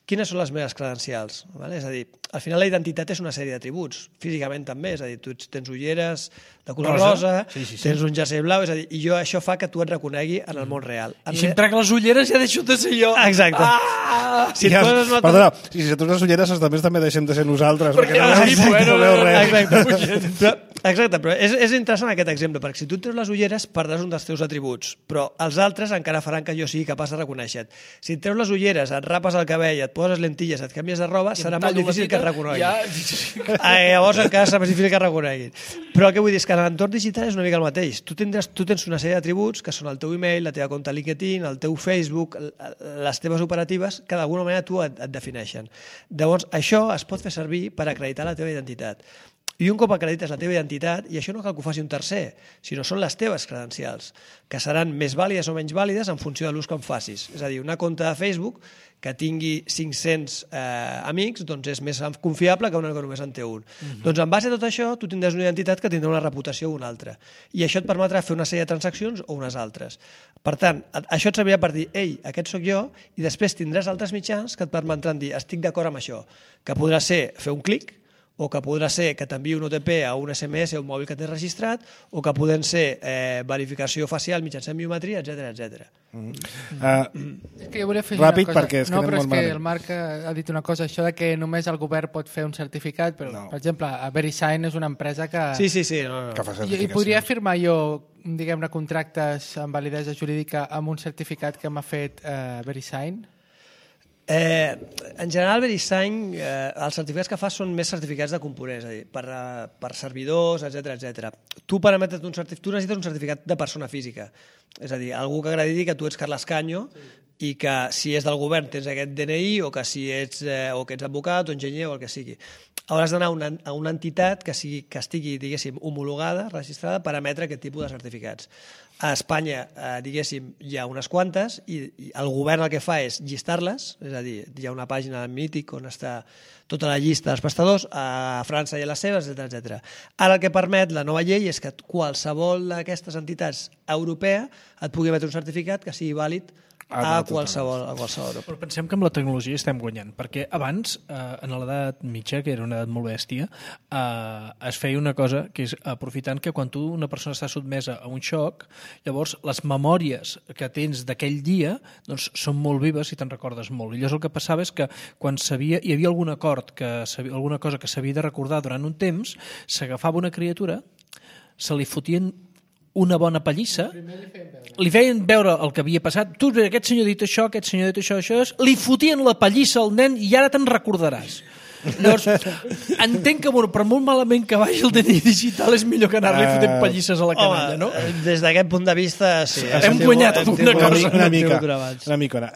quines són les meves credencials? És a dir, al final la identitat és una sèrie d'atributs, físicament també, és a dir, tu tens ulleres de color rosa, tens un jersei blau, és a dir, i això fa que tu et reconegui en el món real. I si em trec les ulleres ja deixo de ser jo. Exacte. Perdona, si tu les ulleres també deixem de ser nosaltres, perquè no veu res. Exacte, però és interessant aquest exemple, perquè si tu treus les ulleres perdràs un dels teus atributs, però els altres encara faran que jo sigui capaç de reconèixer-te. Si et treus les ulleres, et rapes el cabell, et poses lentilles, et canvies de roba, serà molt difícil que et reconeguin. Llavors encara serà més difícil que et reconeguin. Però el que vull dir és que en l'entorn digital és una mica el mateix. Tu tens una sèrie d'atributs que són el teu email, la teva compte LinkedIn, el teu Facebook, les teves operatives, que d'alguna manera tu et defineixen. Llavors, això es pot fer servir per acreditar la teva identitat. I un cop acredites la teva identitat, i això no cal que ho faci un tercer, sinó són les teves credencials, que seran més vàlides o menys vàlides en funció de l'ús que en facis. És a dir, una compte de Facebook que tingui 500 amics doncs és més confiable que una que només en té un. Doncs en base a tot això, tu tindràs una identitat que tindrà una reputació o una altra. I això et permetrà fer una sèrie de transaccions o unes altres. Per tant, això et servirà per dir, ei, aquest sóc jo, i després tindràs altres mitjans que et permetran dir, estic d'acord amb això, que podrà ser fer un clic, o que podrà ser que t'enviï un OTP a un SMS o un mòbil que tens registrat, o que poden ser verificació facial mitjançant biometria, etc. És que jo volia afegir ràpid, una cosa. perquè No, però és que el Marc ha dit una cosa, això de que només el govern pot fer un certificat, però, per exemple, VeriSign és una empresa que... Sí. Que fa certificacions. I podria firmar jo, diguem-ne, contractes amb validesa jurídica amb un certificat que m'ha fet VeriSign? En general, VeriSign, els certificats que fa són més certificats de components, és a dir, per servidors, etc. Tu necessites un certificat de persona física, és a dir, algú que acrediti que tu ets Carles Canyo i que si és del govern tens aquest DNI o que si ets advocat o enginyer o el que sigui. Hauràs d'anar a una entitat que estigui, diguéssim, homologada, registrada per emetre aquest tipus de certificats. A Espanya, diguéssim, hi ha unes quantes i el govern el que fa és llistar-les, és a dir, hi ha una pàgina mític on està tota la llista dels prestadors, a França hi ha les seves, etc. Ara el que permet la nova llei és que qualsevol d'aquestes entitats europea et pugui emetre un certificat que sigui vàlid a qualsevol Europa. Però pensem que amb la tecnologia estem guanyant, perquè abans, en l'edat mitja, que era una edat molt bèstia, es feia una cosa que és aprofitant que quan una persona està sotmesa a un xoc, llavors les memòries que tens d'aquell dia doncs, són molt vives i te'n recordes molt. I llavors el que passava és que quan hi havia algun acord, alguna cosa que s'havia de recordar durant un temps, s'agafava una criatura, se li fotien una bona pallissa, li feien veure el que havia passat, tu, aquest senyor ha dit això, aquest senyor ha dit això, li fotien la pallissa al nen i ara te'n recordaràs. Llavors, entenc que, per molt malament que vagi el DNI digital, és millor que anar-li fotent pallisses a la canalla, no? Des d'aquest punt de vista, sí. Hem guanyat alguna cosa. Una micona.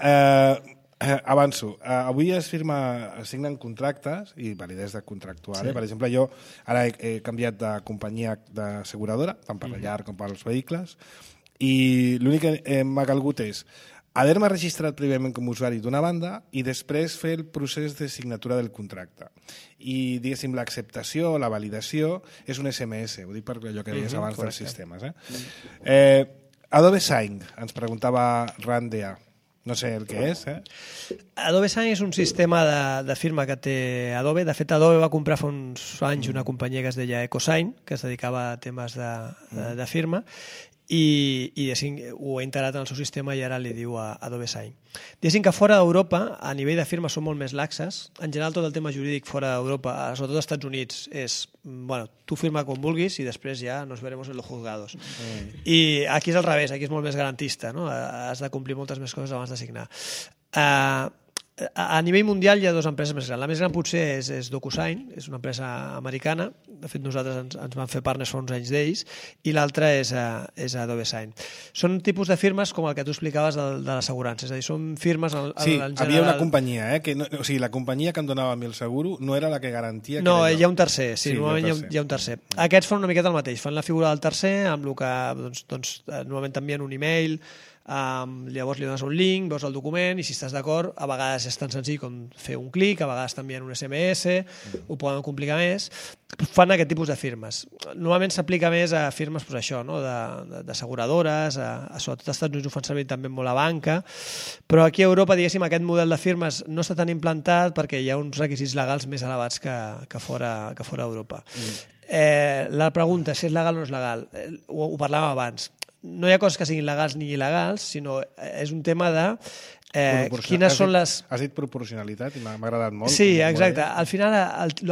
Avanço. Avui es signen contractes i validesa contractual. Per exemple, jo ara he canviat de companyia d'asseguradora, tant per la llar com pels vehicles, i l'únic que m'ha calgut és haver-me registrat prèviament com a usuari d'una banda i després fer el procés de signatura del contracte. I, diguéssim, l'acceptació, la validació, és un SMS, ho dic per allò que deies abans dels sistemes. Adobe Sign, ens preguntava Randea. No sé el que és, Adobe Sign és un sistema de firma que té Adobe. De fet, Adobe va comprar fa uns anys una companyia que es deia EcoSign, que es dedicava a temes de firma, i ho ha integrat en el seu sistema i ara li diu a Adobe Sign. Diguéssim que fora d'Europa, a nivell de firma, són molt més laxes. En general, tot el tema jurídic fora d'Europa, sobretot als Estats Units, és, tu firma com vulguis i després ja nos veremos en los juzgados. I aquí és al revés, aquí és molt més garantista, no? Has de complir moltes més coses abans de signar. A nivell mundial hi ha dues empreses més grans. La més gran potser és DocuSign, és una empresa americana. De fet, nosaltres ens vam fer partners fa uns anys d'ells, i l'altra és Adobe Sign. Són tipus de firmes com el que tu explicaves de l'assegurança, és a dir, són firmes en general... Sí, havia una companyia, o sigui, la companyia que em donava a mi el seguro no era la que garantia... No, hi ha un tercer, sí, normalment hi ha un tercer. Aquests fan una miqueta el mateix, fan la figura del tercer, amb el que normalment t'envien un e-mail, llavors li dones un link, veus el document i si estàs d'acord, a vegades és tan senzill com fer un clic, a vegades t'envien un SMS, ho poden complicar més. Fan aquest tipus de firmes. Normalment s'aplica més a firmes d'asseguradores, sobretot als Estats Units ho fan servir també molt a banca, però aquí a Europa, diguéssim, aquest model de firmes no està tan implantat perquè hi ha uns requisits legals més elevats que fora d'Europa. La pregunta, si és legal o no és legal, ho parlàvem abans. No hi ha coses que siguin legals ni il·legals, sinó és un tema de quines són les... Has dit proporcionalitat i m'ha agradat molt. Sí, exacte. Al final,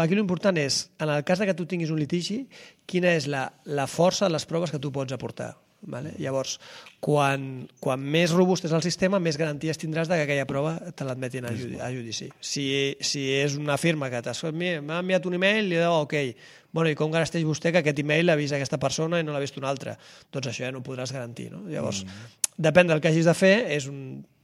aquí l'important és, en el cas que tu tinguis un litigi, quina és la força de les proves que tu pots aportar. Llavors, quan més robust és el sistema, més garanties tindràs que aquella prova te l'admetin a judici. Si és una firma que m'ha enviat un e-mail i li diu, ok, i com garanteix vostè que aquest e-mail l'ha vist aquesta persona i no l'ha vist una altra? Doncs això ja no ho podràs garantir. Llavors, depèn del que hagis de fer,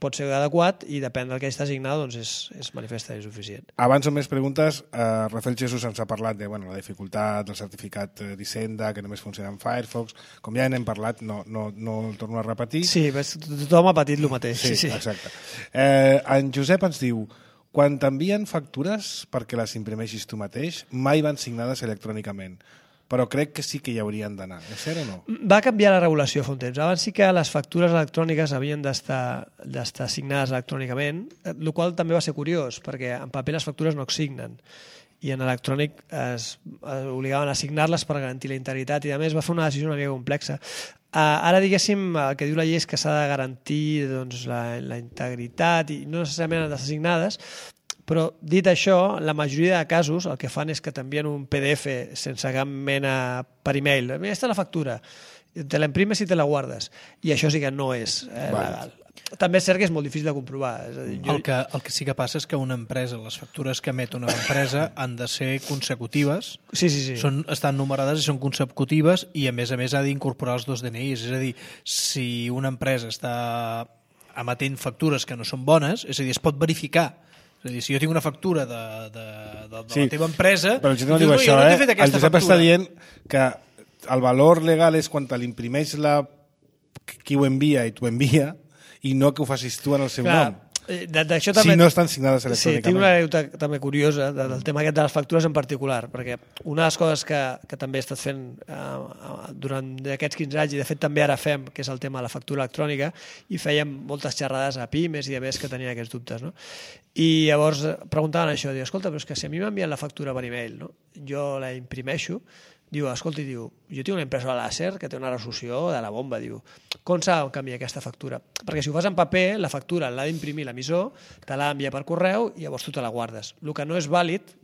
pot ser adequat, i depèn del que hagis d'assignar, doncs és manifestament suficient. Abans o més preguntes, Rafael Jesús ens ha parlat de la dificultat del certificat d'Hisenda, que només funciona en Firefox. Com ja n'hem parlat, no el torno a repetir. Sí, tothom ha patit el mateix. Sí, exacte. En Josep ens diu: quan t'envien factures perquè les imprimeixis tu mateix, mai van signades electrònicament, però crec que sí que hi haurien d'anar. És cert o no? Va canviar la regulació fa un temps. Abans sí que les factures electròniques havien d'estar signades electrònicament, el qual també va ser curiós, perquè en paper les factures no es signen, i en electrònic es obligaven a signar-les per garantir la integritat, i a més va fer una decisió una mica complexa. Ara, diguéssim, el que diu la llei és que s'ha de garantir la integritat i no necessàriament han d'estar signades, però dit això, la majoria de casos el que fan és que t'envien un PDF sense cap mena per e-mail. Aquesta és la factura, te la imprimes i te la guardes, i això sí que no és legal. També és cert que és molt difícil de comprovar. El que sí que passa és que una empresa, les factures que emet una empresa han de ser consecutives, sí. Estan numerades i són consecutives, i a més ha d'incorporar els dos DNIs. És a dir, si una empresa està emetent factures que no són bones, és a dir, es pot verificar. És a dir, si jo tinc una factura de la teva empresa... Però el Josep no diu això, El Josep està dient que el valor legal és quan te l'imprimeix la qui ho envia i t'ho envia, i no que ho facis tu en el seu nom. D'això també... Si no estan signades electrònicament. Sí, tinc una anècdota també curiosa del tema aquest de les factures en particular, perquè una de les coses que també he estat fent durant aquests 15 anys, i de fet també ara fem, que és el tema de la factura electrònica, i fèiem moltes xerrades a pimes i a més que tenien aquests dubtes, no? I llavors preguntaven això, diu, escolta, però és que si a mi m'envien la factura per e-mail, no? Jo la imprimeixo, diu, escolta, diu, jo tinc una impressora làser que té una resolució de la bomba, diu, com s'ha de canviar aquesta factura? Perquè si ho fas en paper, la factura l'ha d'imprimir l'emissor, te l'ha d'enviar per correu i llavors tu te la guardes. El que no és vàlid,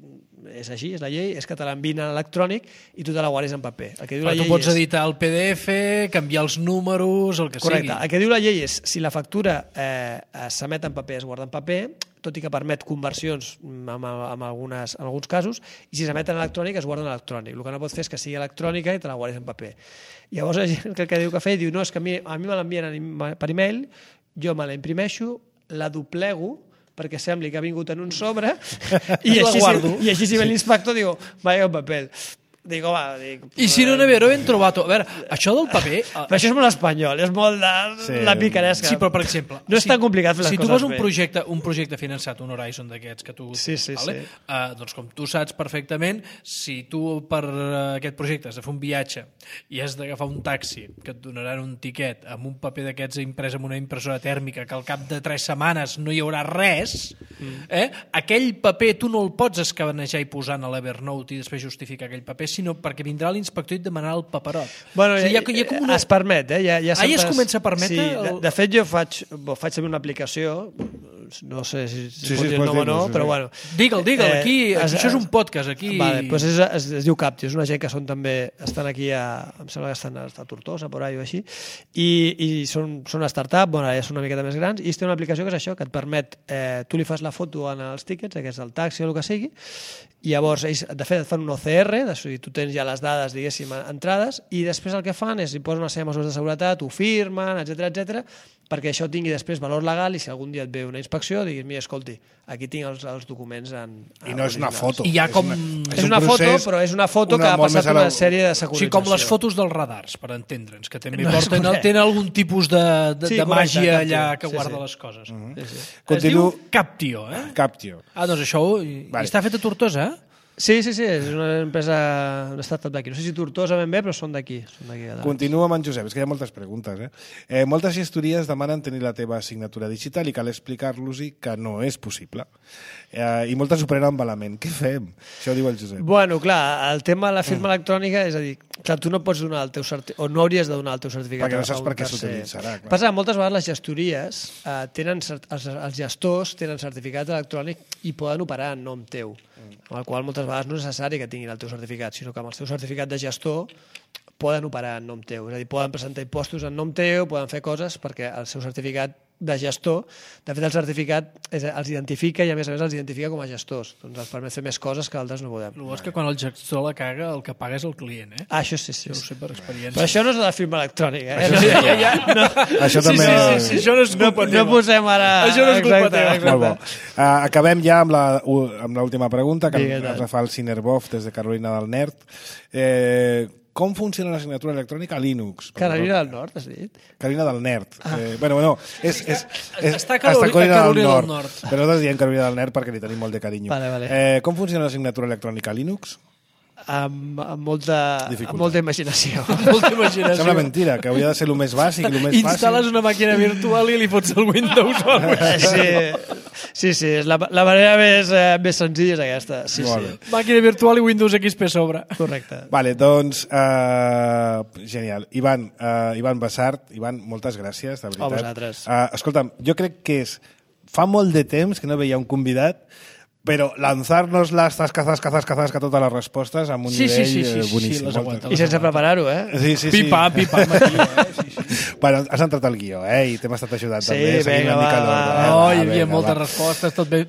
és així, és la llei, és que te l'envien en electrònic i tu te la guardis en paper. El que diu la llei tu pots editar el PDF, canviar els números, el que sigui. Correcte. El que diu la llei és, si la factura s'emet en paper, es guarda en paper, tot i que permet conversions en alguns casos, i si s'emet en electrònic es guarda en electrònic. El que no pots fer és que sigui electrònica i te la guardis en paper. Llavors la gent que diu que diu, no, és que a mi me l'envien per e-mail, jo me la imprimeixo, la doblego, perquè sembli que ha vingut en un sobre, i així si ve l'inspector diu, vaya un paper. Dic, home... I si no n'havia ben trobat... A veure, això del paper... Però això és molt espanyol, és molt de la picaresca. Sí, però per exemple... No és tan complicat fer les coses bé. Si tu vas un projecte finançat, un Horizon d'aquests que tu... Sí. Doncs com tu saps perfectament, si tu per aquest projecte has de fer un viatge i has d'agafar un taxi que et donaran un tiquet amb un paper d'aquests imprès amb una impressora tèrmica que al cap de 3 setmanes no hi haurà res, aquell paper tu no el pots escanejar i posar a l'Evernote i després justificar aquell paper, sinó perquè vindrà l'inspector i et demanarà el paperot. Bueno, o sigui, hi ha com una... Es permet, ja es comença a permetre... Sí, de fet, jo faig servir una aplicació, no sé si pot dir el nom o no, però bueno... Digue'l, aquí, això és un podcast, aquí... Vale, doncs es diu Captio, és una gent que estan aquí em sembla que estan a Tortosa, por ahí o així, i són una startup, bueno, ja són una miqueta més grans, i té una aplicació que és això, que et permet, tu li fas la foto en els tíquets, que és el taxi o el que sigui, i llavors ells, de fet, et fan un OCR, tu tens ja les dades, diguéssim, entrades, i després el que fan és, hi posen una sèrie de mesures de seguretat, ho firmen, etc, perquè això tingui després valor legal i si algun dia et ve una inspecció, diguis, mira, escolti, aquí tinc els documents I no és una foto. I ja com... És una foto, però és una foto que ha passat una sèrie de securització. O sigui, com les fotos dels radars, per entendre'ns, que també tenen algun tipus de màgia allà que guarda les coses. Es diu Captio, eh? Captio. Doncs això està fet a Tortosa, eh? Sí, és una empresa, una startup d'aquí. No sé si Tortosa ben bé, però són d'aquí. Continuo amb en Josep, és que hi ha moltes preguntes. Moltes gestories demanen tenir la teva signatura digital i cal explicar-los-hi que no és possible. I moltes ho prenen malament. Què fem? Això ho diu el Josep. Bueno, clar, el tema de la firma electrònica, és a dir, clar, tu no pots donar el teu certificat, o no hauries de donar el teu certificat. Perquè no saps per què s'utilitzarà. Passa que moltes vegades les gestories els gestors tenen certificat electrònic i poden operar en nom teu, amb el qual moltes vegades no és necessari que tinguin el teu certificat, sinó que amb el seu certificat de gestor poden operar en nom teu. És a dir, poden presentar impostos en nom teu, poden fer coses perquè el seu certificat de gestor, de fet el certificat els identifica i a més els identifica com a gestors, doncs els permet fer més coses que altres no podem. El bo és que quan el gestor la caga el que paga és el client, eh? Això sí. Ho sé per experiència. Però això no és la firma electrònica, eh? Això també... Sí, això no és culpa teva. No posem ara... Això no és culpa teva. Molt bo. Acabem ja amb l'última pregunta que ens fa el Cinerbov des de Carolina del Nord. Com funciona la signatura electrònica a Linux? Carolina del Nord, has dit? Carolina del Nord. Bueno, està a Carolina del Nord. Però nosaltres diem Carolina del Nord perquè li tenim molt de carinyo. Vale. Com funciona la signatura electrònica a Linux? Amb molta imaginació. Sembla mentira, que hauria de ser el més bàsic, el més fàcil. Instal·les una màquina virtual i li fots el Windows o alguna cosa. Sí, la manera més senzilla és aquesta. Sí. Màquina virtual i Windows XP a sobre. Correcte. Vale, doncs, genial. Ivan Basart, Ivan, moltes gràcies, de veritat. A vosaltres. Escolta'm, jo crec que fa molt de temps que no veia un convidat, però lanzar-nos las tascazas totes les respostes amb un nivell boníssim. I sense preparar-ho, eh? Sí. Pim-pam, Bueno, has entrat al guió, i t'hem estat ajudant també. Sí, vinga, va. Hi havia moltes respostes, tot ben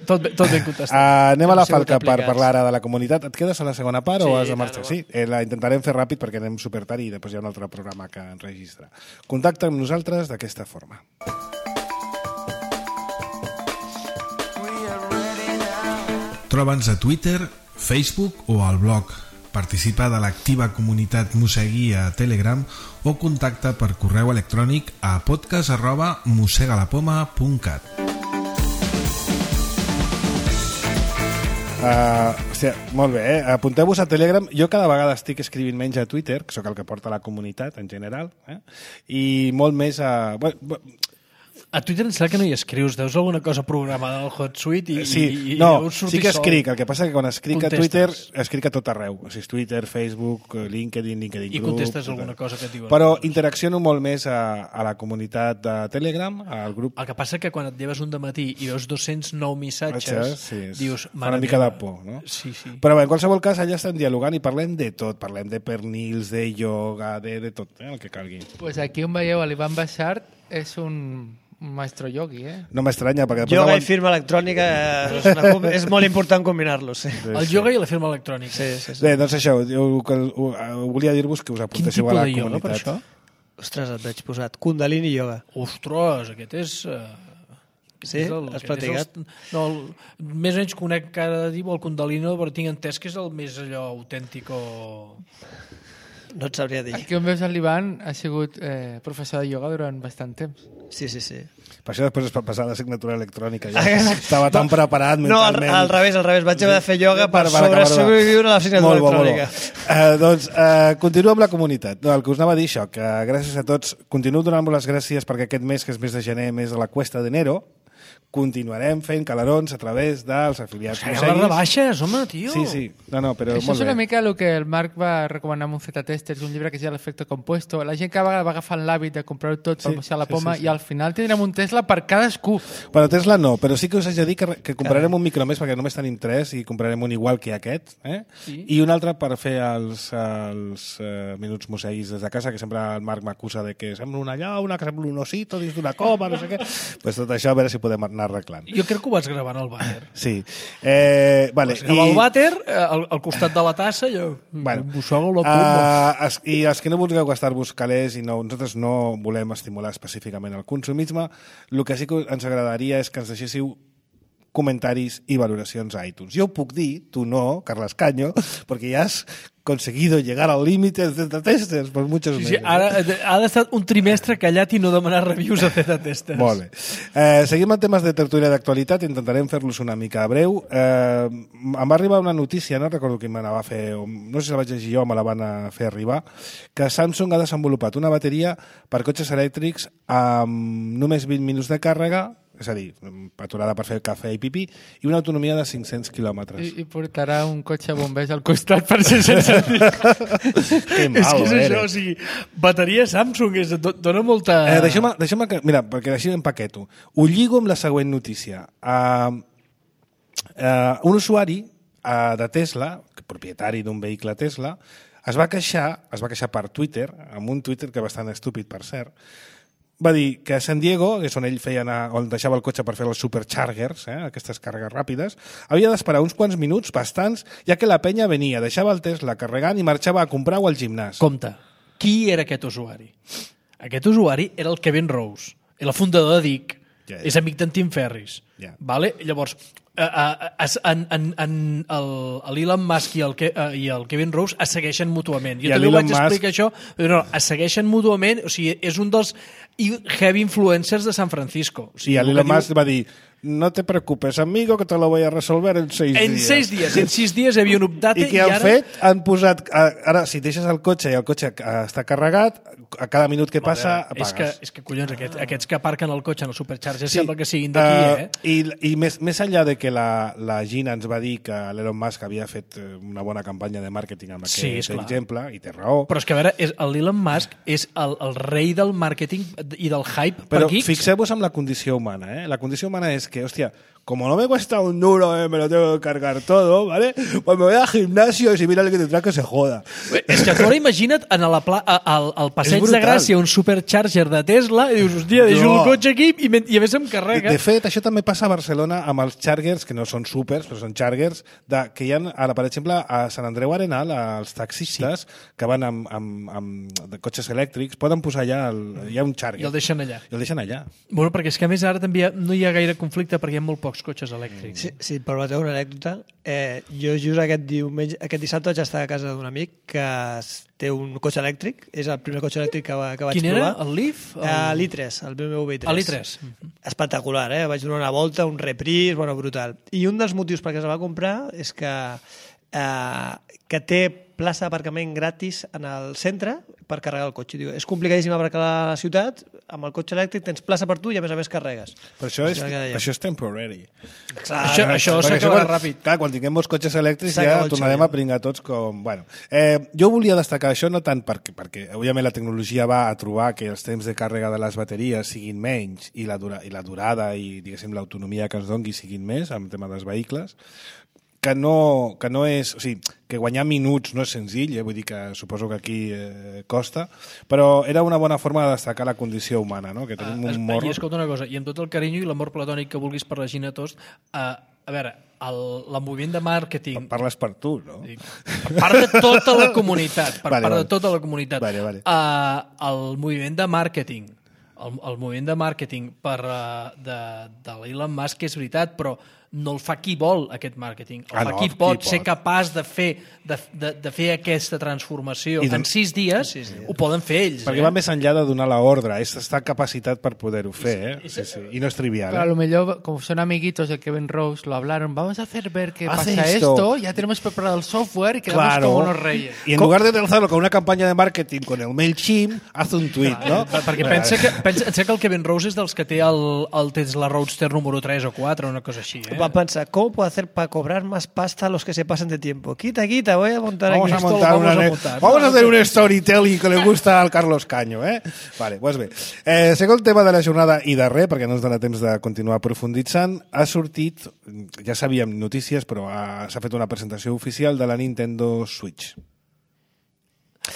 contestat. Anem a la falca per parlar ara de la comunitat. Et quedes a la segona part o has de marxar? Sí, la intentarem fer ràpid perquè anem supertard i després hi ha un altre programa que enregistra. Contacta amb nosaltres d'aquesta forma. Troba'ns a Twitter, Facebook o al blog participa de l'activa comunitat Mossegui a Telegram o contacta per correu electrònic a podcast@mossegalapoma.cat. Hòstia, molt bé, apunteu-vos a Telegram. Jo cada vegada estic escrivint menys a Twitter, que sóc el que porta la comunitat en general, i molt més a... A Twitter em sembla que no hi escrius, deus alguna cosa programada al HotSuite i sí, sí que escric, el que passa que quan escric a Twitter escric a tot arreu, o sigui, Twitter, Facebook, LinkedIn i contestes alguna cosa que et diuen. Però interacciono molt més a la comunitat de Telegram, al grup. El que passa que quan et lleves un dematí i veus 209 missatges, dius... Fa una mica de por, no? Sí, sí. Però bé, en qualsevol cas, allà estem dialogant i parlem de tot, parlem de pernils, de ioga, de tot, el que calgui. Pues aquí on veieu l'Ivan Bassart és un maestro yogi, No m'estranya, perquè... Yoga i firma electrònica és molt important combinar-los, sí. El yoga i la firma electrònica. Sí. Bé, doncs això, volia dir-vos que us apuntéssiu a la comunitat. Quin tipus de yoga, per això? Ostres, et veig posat. Kundalini yoga. Ostres, aquest és... Sí? Has practicat? No, més o menys conec cada dia el Kundalini, però tinc entès que és el més allò autèntic o... No et sabria dir. Aquí on veus l'Ivan ha sigut professor de ioga durant bastant temps. Sí. Per això després es va passar l'assignatura electrònica. Ja. Estava tan preparat mentalment. No, al revés. Vaig haver de fer ioga per sobreviure a l'assignatura electrònica. Doncs continuo amb la comunitat. No, el que us anava a dir això, que gràcies a tots, continuo donant-vos les gràcies perquè aquest mes, que és mes de gener, mes de la Cuesta d'Enero, continuarem fent calarons a través dels afiliats Mosseguis. Les rebaixes, home, tio! Sí. No, però això molt és una mica el que el Marc va recomanar amb un Z-Testers, un llibre que es diu l'efecte compuesto. La gent que va agafant l'hàbit de comprar-ho tot per mossegar la poma i al final tindrem un Tesla per cadascú. Però Tesla no, però sí que us haig de dir que comprarem un micro més perquè només tenim 3 i comprarem un igual que aquest, i un altre per fer els minuts mosseguis des de casa, que sempre el Marc m'acusa de que sembla una llauna, que sembla un osito dins d'una coma, no sé què. Pues tot això a veure si podem anar arreglant. Jo crec que ho vaig gravar en el vàter. Sí. Vale. El vàter, al costat de la tassa, jo... I els que no vulgueu gastar-vos calés i nosaltres no volem estimular específicament el consumisme, el que sí que ens agradaria és que ens deixéssiu comentaris i valoracions a iTunes. Jo ho puc dir, tu no, Carles Caño, perquè ja has conseguido llegar al límite de Z-Testers per muchos meses. Sí, ara ha d'estar un trimestre callat i no demanar reviews a Z-Testers. Molt bé. Seguim amb temes de tertúlia d'actualitat, intentarem fer-los una mica breu. Em va arribar una notícia, no recordo qui me la va fer, no sé si la vaig llegir jo o me la van fer arribar, que Samsung ha desenvolupat una bateria per cotxes elèctrics amb només 20 minuts de càrrega, és a dir, aturada per fer cafè i pipí, i una autonomia de 500 quilòmetres. I portarà un cotxe bombers al costat per ser sense dir. Que mal, és que és això, o sigui, bateria Samsung, dona molta... Deixa'm que... Mira, perquè així empaqueto. Ho lligo amb la següent notícia. Un usuari de Tesla, propietari d'un vehicle Tesla, es va queixar per Twitter, amb un Twitter que bastant estúpid, per cert, va dir que a San Diego, que és on ell on deixava el cotxe per fer els superchargers, aquestes càrregues ràpides, havia d'esperar uns quants minuts, bastants, ja que la penya venia, deixava el Tesla carregant i marxava a comprar-ho al gimnàs. Compte, qui era aquest usuari? Aquest usuari era el Kevin Rose, el fundador de DIC, és amic d'en Tim Ferris. Vale? Llavors, l'Elon Musk i el Kevin Rose es segueixen mútuament. Jo també ho vaig explicar això, però no, es segueixen mútuament, o sigui, és un dels heavy influencers de San Francisco. O sigui, I l'Elon Musk va dir: no te preocupes, amigo, que te lo voy a resolver en 6 dies. En 6 dies. En 6 dies hi havia un update. I què han fet? Han posat... Ara, si deixes el cotxe i el cotxe està carregat, a cada minut que passa, apagues. És que collons, aquests que aparquen el cotxe en el supercharger sembla que siguin d'aquí, I més enllà de que la Gina ens va dir que l'Elon Musk havia fet una bona campanya de màrqueting amb aquest exemple, i té raó. Però és que, a veure, l'Elon Musk és el rei del màrqueting i del hype per geeks. Però fixeu-vos en la condició humana, La condició humana és que, hòstia, como no me cuesta un duro, me lo tengo que cargar todo, ¿vale? Pues me voy al gimnasio y si mira el que tendrá que se joda. És que tu ara imagina't al passeig de Gràcia un supercharger de Tesla i dius, hòstia, deixo el cotxe aquí i a més em carrega. De fet, això també passa passa a Barcelona amb els Chargers, que no són súpers, però són Chargers, que hi ha, ara, per exemple, a Sant Andreu Arenal, els taxistes que van amb cotxes elèctrics, poden posar allà, hi ha un Charger. I el deixen allà. Bueno, perquè és que a més ara també no hi ha gaire conflicte perquè hi ha molt pocs cotxes elèctrics. Sí, però teniu una anècdota. Jo just aquest dissabte vaig estar a casa d'un amic que té un cotxe elèctric, és el primer cotxe elèctric que vaig provar. Quin era? El Leaf? L'I3, el BMW i3. L'I3. Espectacular, vaig donar una volta, un repris, bueno, brutal. I un dels motius perquè es va comprar és que té plaça d'aparcament gratis en el centre per carregar el cotxe. Diu, és complicadíssim aparcar a la ciutat, amb el cotxe elèctric tens plaça per tu i a més carregues. Però això és temporary. Això s'acabarà ràpid. Clar, quan tinguem molts cotxes elèctrics ja tornarem a pringar tots com... Bueno, jo volia destacar això no tant perquè òbviament la tecnologia va a trobar que els temps de càrrega de les bateries siguin menys i la durada i diguéssim l'autonomia que ens doni siguin més en tema dels vehicles, que no és... O sigui, que guanyar minuts no és senzill, vull dir que suposo que aquí costa, però era una bona forma de destacar la condició humana, no? Que tenim un morro... I escolta una cosa, i amb tot el carinyo i l'amor platònic que vulguis per la Gina Tost, a veure, el moviment de màrqueting... Parles per tu, no? Per part de tota la comunitat, de tota la comunitat. Vale. El moviment de màrqueting, el moviment de màrqueting de l'Elon Musk és veritat, però no el fa qui vol, aquest màrqueting. El fa qui pot ser capaç de fer aquesta transformació en 6 dies, ho poden fer ells. Perquè va més enllà de donar l'ordre, està capacitat per poder-ho fer, Sí. I no és trivial. Pero a lo mejor, como son amiguitos de Kevin Rose, lo hablaron, vamos a hacer ver qué pasa esto, ya tenemos preparado el software y quedamos como unos reyes. Y en lugar de lanzarlo con una campaña de marketing con el MailChimp, haz un tuit, no? Perquè pensa que el Kevin Rose és dels que té el Tesla Roadster número 3 o 4 o una cosa així, Va a pensar, ¿cómo puedo hacer para cobrar más pasta a los que se pasen de tiempo? Quita, voy a montar vamos aquí. Vamos a hacer un storytelling que le gusta al Carlos Caño, Vale, doncs bé. Segon tema de la jornada i darrer, perquè no ens dona temps de continuar profunditzant, ha sortit, ja sabíem notícies, però s'ha fet una presentació oficial de la Nintendo Switch.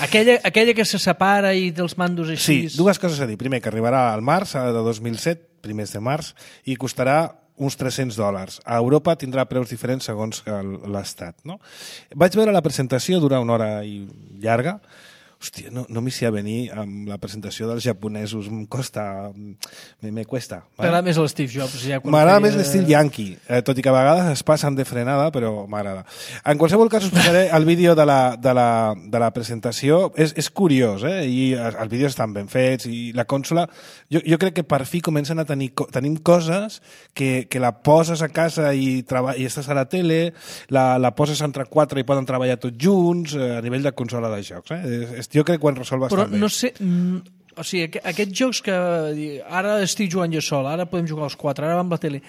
Aquella que se separa i dels mandos així... Sí, dues coses a dir. Primer, que arribarà al març de 2007, primers de març, i costarà uns $300. A Europa tindrà preus diferents segons l'estat, no? Vaig veure la presentació, dura una hora i llarga. Hòstia, no m'hi sé a venir amb la presentació dels japonesos. Me cuesta. M'agrada més l'Steve Jobs. M'agrada més l'estil yankee, tot i que a vegades es passen de frenada, però m'agrada. En qualsevol cas us posaré el vídeo de la presentació. És curiós, i els vídeos estan ben fets, i la consola... Jo crec que per fi comencen a tenim coses que la poses a casa i estàs a la tele, la poses entre 4 i poden treballar tots junts a nivell de consola de jocs. Jo crec que ho han resolt bastant bé. Però no sé... O sigui, aquests jocs que ara estic jugant jo sol, ara podem jugar els 4, ara va amb la tele...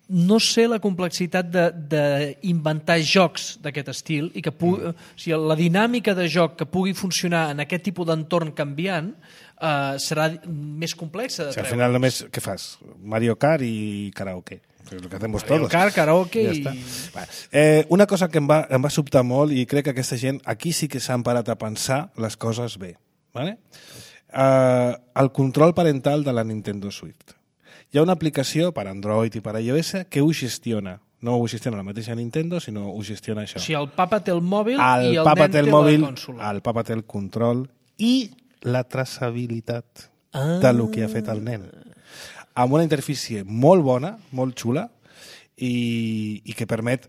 No sé la complexitat d'inventar jocs d'aquest estil i que o sigui, la dinàmica de joc que pugui funcionar en aquest tipus d'entorn canviant serà més complexa de treure. Al final només, què fas? Mario Kart i karaoke. És el que hacemos todos. Mario Kart, karaoke ja una cosa que em va sobtar molt i crec que aquesta gent aquí sí que s'han parat a pensar les coses bé. Vale? El control parental de la Nintendo Switch. Hi ha una aplicació per Android i per iOS que ho gestiona. No ho gestiona la mateixa Nintendo, sinó ho gestiona això. O sigui, el papa té el mòbil i el nen té la consola. El papa té el control i la traçabilitat del que ha fet el nen. Amb una interfície molt bona, molt xula, i que permet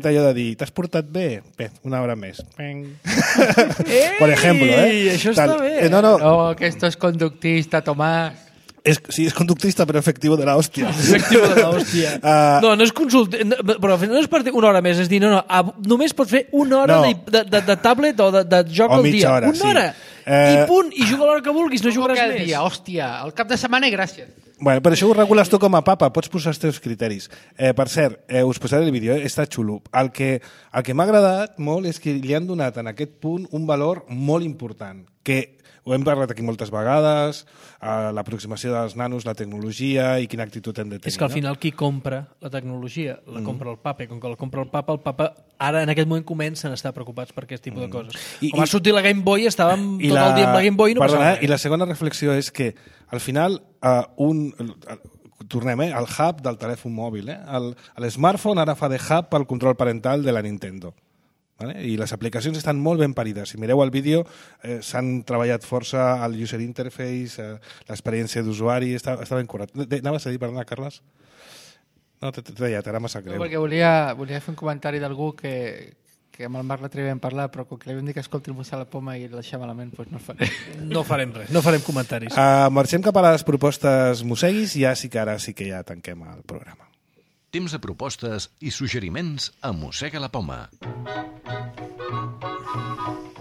allò de dir, t'has portat bé? Bé, una hora més. Por ejemplo, això està bé. No, que esto es conductista, Tomás. Sí, és conductista, però efectivo de la hòstia. Efectivo de la hòstia. No és però no és per dir una hora més, és dir, només pot fer una hora de tablet o de joc al dia. Una hora. I punt, i juga a l'hora que vulguis, no jugaràs més. Dia, hòstia, el cap de setmana i gràcies. Bueno, per això ho regules tu com a papa, pots posar els teus criteris. Per cert, us posaré el vídeo, està xulo. El que m'ha agradat molt és que li han donat en aquest punt un valor molt important, que ho hem parlat aquí moltes vegades, l'aproximació dels nanos, la tecnologia i quina actitud hem de tenir. És que al final qui compra la tecnologia la compra el papa, i com que la compra el papa ara en aquest moment comencen a estar preocupats per aquest tipus de coses. Com va sortir la Game Boy, estàvem tot el dia amb la Game Boy i no passava res. I la segona reflexió és que al final tornem, el hub del telèfon mòbil. El smartphone ara fa de hub pel control parental de la Nintendo. Vale? I les aplicacions estan molt ben parides. Si mireu el vídeo, s'han treballat força el user interface, l'experiència d'usuari, està ben curat. Anaves a dir, perdona, Carles? No, t'he tallat, ara m'ha sap greu. No, perquè volia fer un comentari d'algú que amb el Marc l'altre dia vam parlar, però com que li vam dir que escolti el Mossèn la Poma i el deixar malament, doncs no faré. No farem res, no farem comentaris. Marxem cap a les propostes mosseguis i ja sí que ja tanquem el programa. Temps de propostes i suggeriments a Mossega la Poma.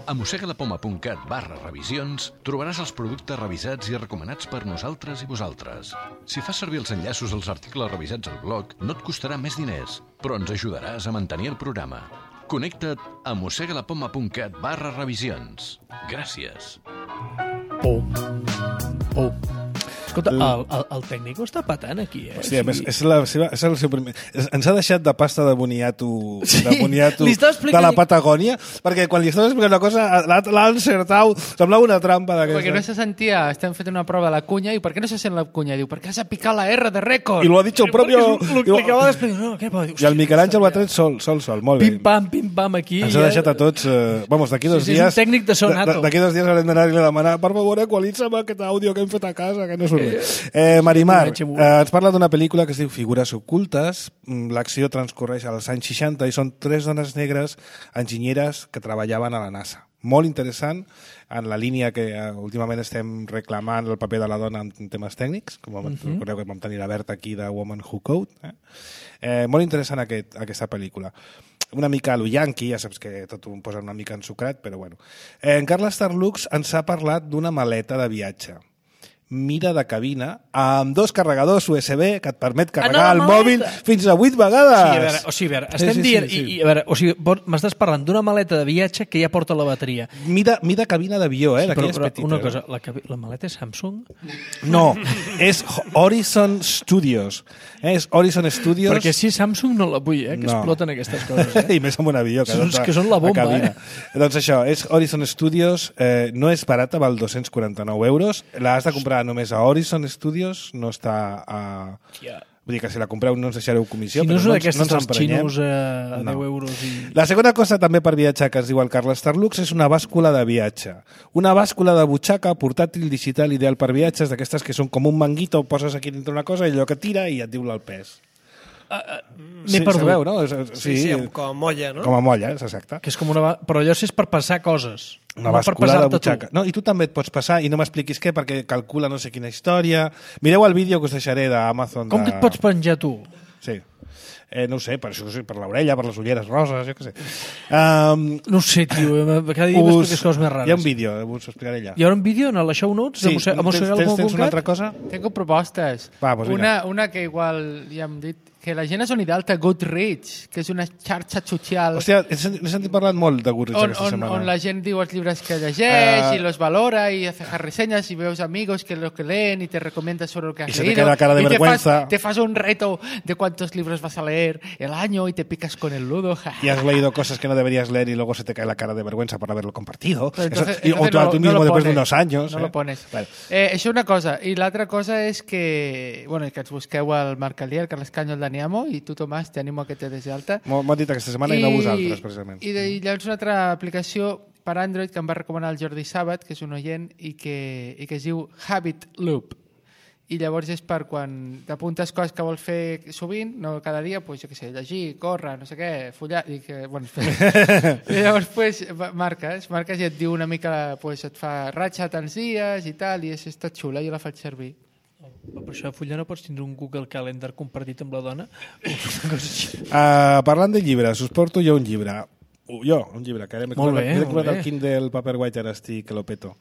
A mossegalapoma.cat/revisions trobaràs els productes revisats i recomanats per nosaltres i vosaltres. Si fas servir els enllaços als articles revisats al blog, no et costarà més diners, però ens ajudaràs a mantenir el programa. Connecta't a mossegalapoma.cat/revisions. Gràcies. Escolta, el tècnic està patant aquí, eh? Hòstia, és el seu primer... Ens ha deixat de pasta de boniato, de la Patagònia, perquè quan li estaves explicant una cosa l'ha encertat, semblava una trampa d'aquesta. Perquè no se sentia, estem fent una prova de la cunya, i per què no se sent la cunya? Diu, perquè has de picar la R de rècord. I lo ha dit el propio... Lo acaba d'explicar. No, què pot dir? I el Miquel Àngel ho ha tret sol, molt bé. Pim-pam, aquí. Ens ha deixat a tots... Vamos, d'aquí 2 dies... És un tècnic de so nato. D'aquí 2 dies haurem d'anar-li a demanar, per favor, equalitza'm aquest àudio que hem fet a casa, que no surt bé. Marimar, ens parla d'una pel·lícula que es diu Figures ocultes. L'acció transcorreix als anys 60 i són 3 dones negres enginyeres que treballaven a la NASA. Molt interessant, en la línia que últimament estem reclamant el paper de la dona en temes tècnics, com recordeu que vam tenir la Berta aquí de Woman Who Code. Molt interessant aquesta pel·lícula. Una mica a lo yankee, ja saps que tot ho posa una mica ensucrat, però bueno. En Carles Tarlux ens ha parlat d'una maleta de viatge. Mira de cabina amb 2 carregadors USB que et permet carregar el mòbil fins a 8 vegades. A veure, estem dient... M'estàs parlant d'una maleta de viatge que ja porta la bateria. Mida cabina d'avió, d'aquelles petites. Una cosa, la maleta és Samsung? No, és Horizon Studios. És Horizon Studios... Perquè si Samsung no la vull, que exploten aquestes coses. I més amb un avió. Que són la bomba, Doncs això, és Horizon Studios, no és barata, val 249 euros. L'has de comprar només a Horizon Studios, no està a... Vull dir que si la compreu no ens deixareu comissió, si no però no ens emprenyem. Xinos a 10 euros. La segona cosa també per viatjar que es diu el Carles Tarlux és una bàscula de viatge. Una bàscula de butxaca portàtil digital ideal per viatges, d'aquestes que són com un manguito, poses aquí dintre una cosa i allò que tira i et diu el pes. M'he perdut. Sabeu, no? Sí, com a molla, no? Com a molla, és exacte. Que és com però allò és per passar coses. Una bàscula de butxaca. No, i tu també et pots passar i no m'expliquis què, perquè calcula no sé quina història. Mireu el vídeo que us deixaré d'Amazon. Com que et pots penjar tu? Sí. No ho sé, per l'orella, per les ulleres roses, jo què sé. No ho sé, tio, cada dia m'expliques coses més rares. Hi ha un vídeo, us ho explicaré allà. Hi haurà un vídeo en la show notes? Sí, tens una altra cosa? Tengo propostes. Va, pues una que igual ja hem dit, que la gent és unida a Goodreads, que és una xarxa social... Hòstia, he sentit parlar molt de Goodreads aquesta setmana. On la gent diu els llibres que llegeix y los valora y hace reseñas y veus amigos que lo que leen y te recomienda sobre lo que has leído. Y se te queda cara de vergüenza. Te fas un reto de cuántos libros vas a leer el año y te picas con el ludo. Y has leído cosas que no deberías leer y luego se te cae la cara de vergüenza por haberlo compartido. Entonces o tú mismo después de unos años. No lo pones. Vale. Això una cosa. I l'altra cosa és que ens busqueu al Marc Alier, el Carles Canyo, el Dani Amo, i tu, Tomàs, t'animo a que te des d'alta. M'ho dit aquesta setmana i no vosaltres, precisament. I llavors una altra aplicació per Android que em va recomanar el Jordi Sàbat, que és un oient, i que es diu Habit Loop. I llavors és per quan t'apuntes coses que vols fer sovint, no cada dia, pues, jo què sé, llegir, córrer, no sé què, follar... I llavors marques i et diu una mica, pues, et fa ratxa tants dies i tal, i està xula, jo la faig servir. Per això a follar no pots tindre un Google Calendar compartit amb la dona? Parlant de llibres, us porto jo un llibre. Un llibre, que ara m'he comprat el Kindle Paperwhite, ara estic que lo peto.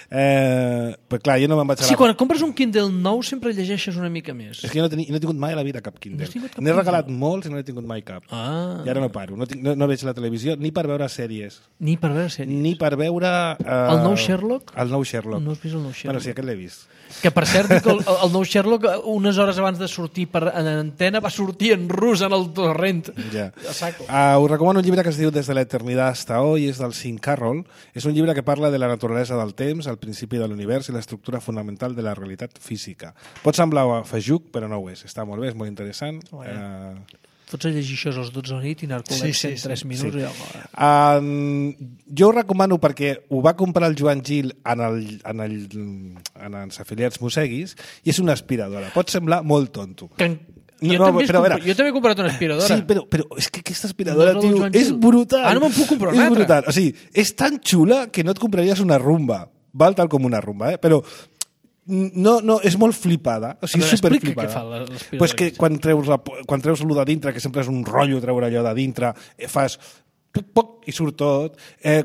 Però clar, jo no me'n vaig a... Sí, quan compres un Kindle nou sempre llegeixes una mica més. És que jo no he tingut mai a la vida cap Kindle. N'he regalat molts i no n'he tingut mai cap. I ara no paro. No veig la televisió ni per veure sèries. Ni per veure sèries? Ni per veure... El nou Sherlock? El nou Sherlock. No has vist el nou Sherlock? Bueno, sí, aquest l'he vist. Que, per cert, dic, el nou Sherlock, unes hores abans de sortir en antena, va sortir en rus en el torrent. Ja. Us recomano un llibre que es diu Des de la eternidad hasta hoy és del Sean Carroll. És un llibre que parla de la naturalesa del temps, el principi de l'univers i l'estructura fonamental de la realitat física. Pot semblar feixuc, però no ho és. Està molt bé, és molt interessant. Fots a llegir això als 12 de la nit i narcolèpsia en 3 minuts. Jo ho recomano perquè ho va comprar el Joan Gil en els afiliats Museguis i és una aspiradora. Pot semblar molt tonto. Jo també he comprat una aspiradora. Sí, però és que aquesta aspiradora, tio, és brutal. No me'n puc comprar una altra. És altra. brutal. O sigui, és tan xula que no et compraries una rumba. Val tal com una rumba, però no, és molt flipada. O sigui, és superflipada. Què fa l'aspiradora? Pues que quan treus allò de dintre, que sempre és un rotllo treure allò de dintre, fas poc i surt tot.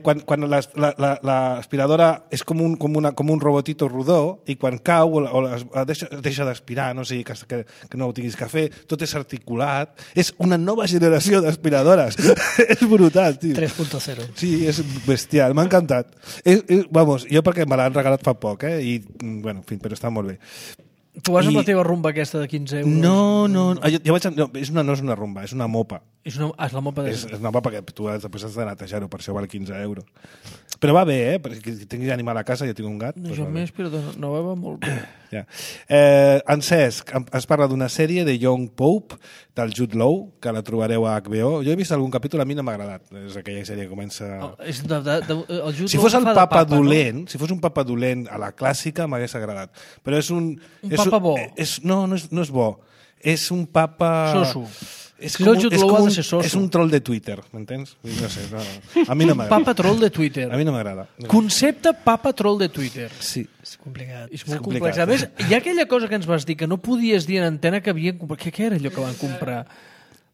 Quan l'aspiradora és com un robotito rodó i quan cau deixa d'aspirar, no? O sigui, que no ho tinguis que fer, tot és articulat. És una nova generació d'aspiradores. És brutal, tio. 3.0. Sí, és bestial, m'ha encantat. Vamos, jo perquè me l'han regalat fa poc, i bueno, en fi, però està molt bé. Tu vas amb la teva rumba aquesta de 15 euros? No, no és una rumba, és una mopa. És la mopa de... És una mopa que tu després has de netejar-ho, per això val 15 euros. Però va bé, perquè tinguis animal a casa, jo tinc un gat. No, jo més, però no va molt bé. Ja. En Cesc es parla d'una sèrie de Young Pope, del Jude Law, que la trobareu a HBO. Jo he vist algun capítol, a mi no m'ha agradat. És aquella sèrie que comença... Si fos el papa dolent, si fos un papa dolent a la clàssica, m'hagués agradat. Però és un papa bo. No és bo. És un papa... Soso. És un troll de Twitter, m'entens? No sé, a mi no m'agrada. Papa troll de Twitter. A mi no m'agrada. Concepte papa troll de Twitter. Sí. És complicat. És molt complex. A més, hi ha aquella cosa que ens vas dir que no podies dir en antena que havien comprat. Què era allò que van comprar?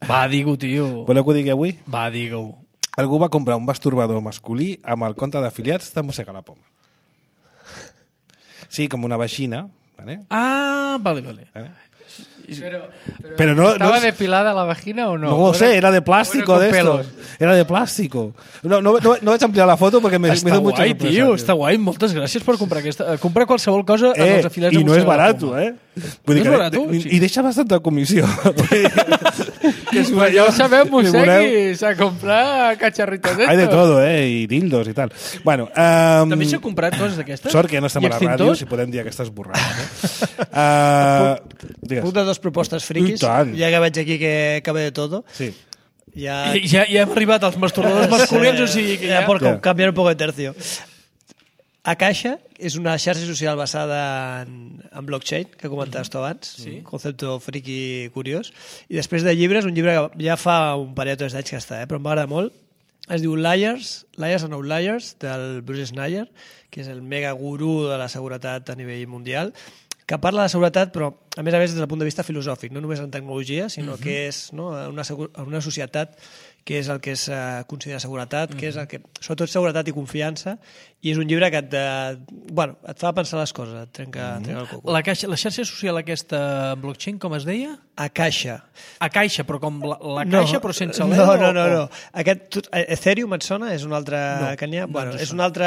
Va, digue-ho, tio. Voleu que ho digui avui? Va, digue-ho. Algú va comprar un masturbador masculí amb el compte d'afiliats de Mossega la Poma. Sí, com una vagina. Vale? Vale. Pero no, ¿Estaba depilada la vagina o no? No lo sé, era de plástico de estos. Era de plástico. No vaig ampliar la foto perquè me està mucha guai, sorpresa. tio, està guai. Moltes gràcies per comprar aquesta. Comprar qualsevol cosa en els afiliats de I no és Mossega la barat, Poma. Vull dir és barat, que, I deixa bastanta comissió. Que si ja ho sabem, Museguis, a comprar cacharritos d'estos. Hay de todo, y dildos i tal. Bueno, també s'ha comprat coses d'aquestes? Sort que ja no estem a la ràdio, si podem dir aquestes borrades. Puc de dos propostes friquis, ja que veig aquí que ve de todo. Sí. Ja hem arribat als masturbadors masculins, o sigui que ja por cambiar un poco de tercio. Akasha és una xarxa social basada en blockchain, que comentaves tu abans, un concepte friki curiós. I després de llibres, un llibre que ja fa un parell o 3 d'anys que està, però m'agrada molt. Es diu Liars and Outliers, del Bruce Schneier, que és el mega gurú de la seguretat a nivell mundial, que parla de seguretat, però a més des del punt de vista filosòfic, no només en tecnologia, sinó que és una societat que és el que es considera seguretat, que és el que, sobretot seguretat i confiança, i és un llibre que et fa pensar les coses, et trenca el coco. La xarxa social aquesta blockchain, com es deia? Akasha. Akasha, però com la caixa, però sense l'E? No. Ethereum et sona? És un altre que n'hi ha? Bueno, és un altre...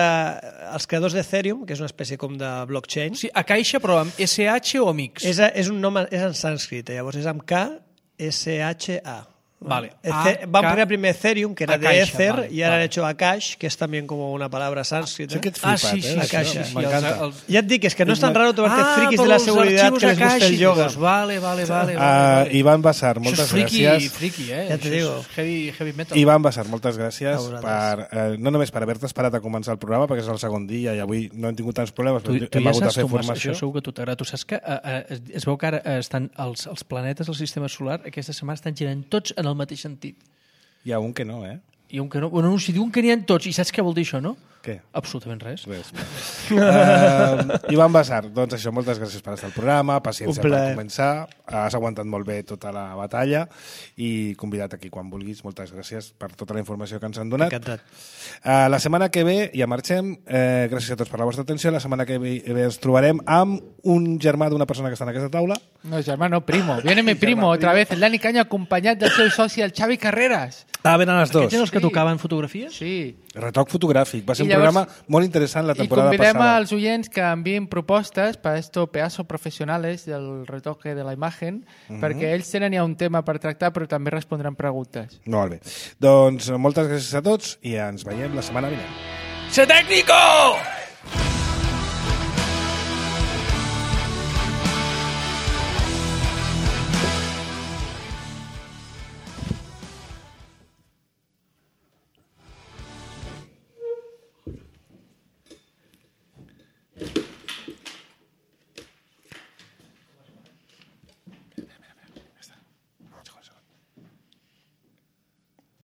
Els creadors d'Ethereum, que és una espècie com de blockchain... Sí, Akasha, però amb SH o amb X? És un nom, és en sànscrit, llavors és amb K, S-H-A. Vale. Van poner primer Ethereum, que era de Ether, y ahora han hecho Akash, que es también como una palabra sánscrita. Sí, Akasha. Me encanta. Ya te digo, es que no es tan raro tomarte frikis de la seguridad que les gusta el yoga. Vale. Iván Basar, moltes gràcies. Friki, Ja te digo. Heavy metal. Iván Basar, moltes gràcies no només per haver-te esperat a començar el programa, perquè és el segon dia i avui no hem tingut tants problemes, però hem hagut de fer formació. Això segur que a tu t'agrada. Tu saps que es veu que ara estan els planetes del sistema solar aquesta setmana estan girant tots en el mateix sentit. Hi ha un que no, Hi ha un que no. Bueno, si diuen que n'hi ha tots, i saps què vol dir això, no? Què? Absolutament res. Iván Basar, doncs això, moltes gràcies per estar al programa, paciència per començar, has aguantat molt bé tota la batalla i convidat aquí quan vulguis. Moltes gràcies per tota la informació que ens han donat. Encantat. La setmana que ve ja marxem. Gràcies a tots per la vostra atenció. La setmana que ve ens trobarem amb un germà d'una persona que està en aquesta taula. No, germà, no, primo. Viene mi primo, otra vez, el Dani Caño, acompanyat del seu soci, el Xavi Carreras. Venen els dos. Aquests tocaven fotografies? Sí. Retoc fotogràfic. Va ser I un llavors- programa molt interessant la temporada I convidem passada. als oients que envien propostes per estos pedazos professionales del retoque de la imagen, perquè ells tenen ja un tema per tractar, però també respondran preguntes. Molt bé. Doncs moltes gràcies a tots i ens veiem la setmana vinent. ¡Se técnico!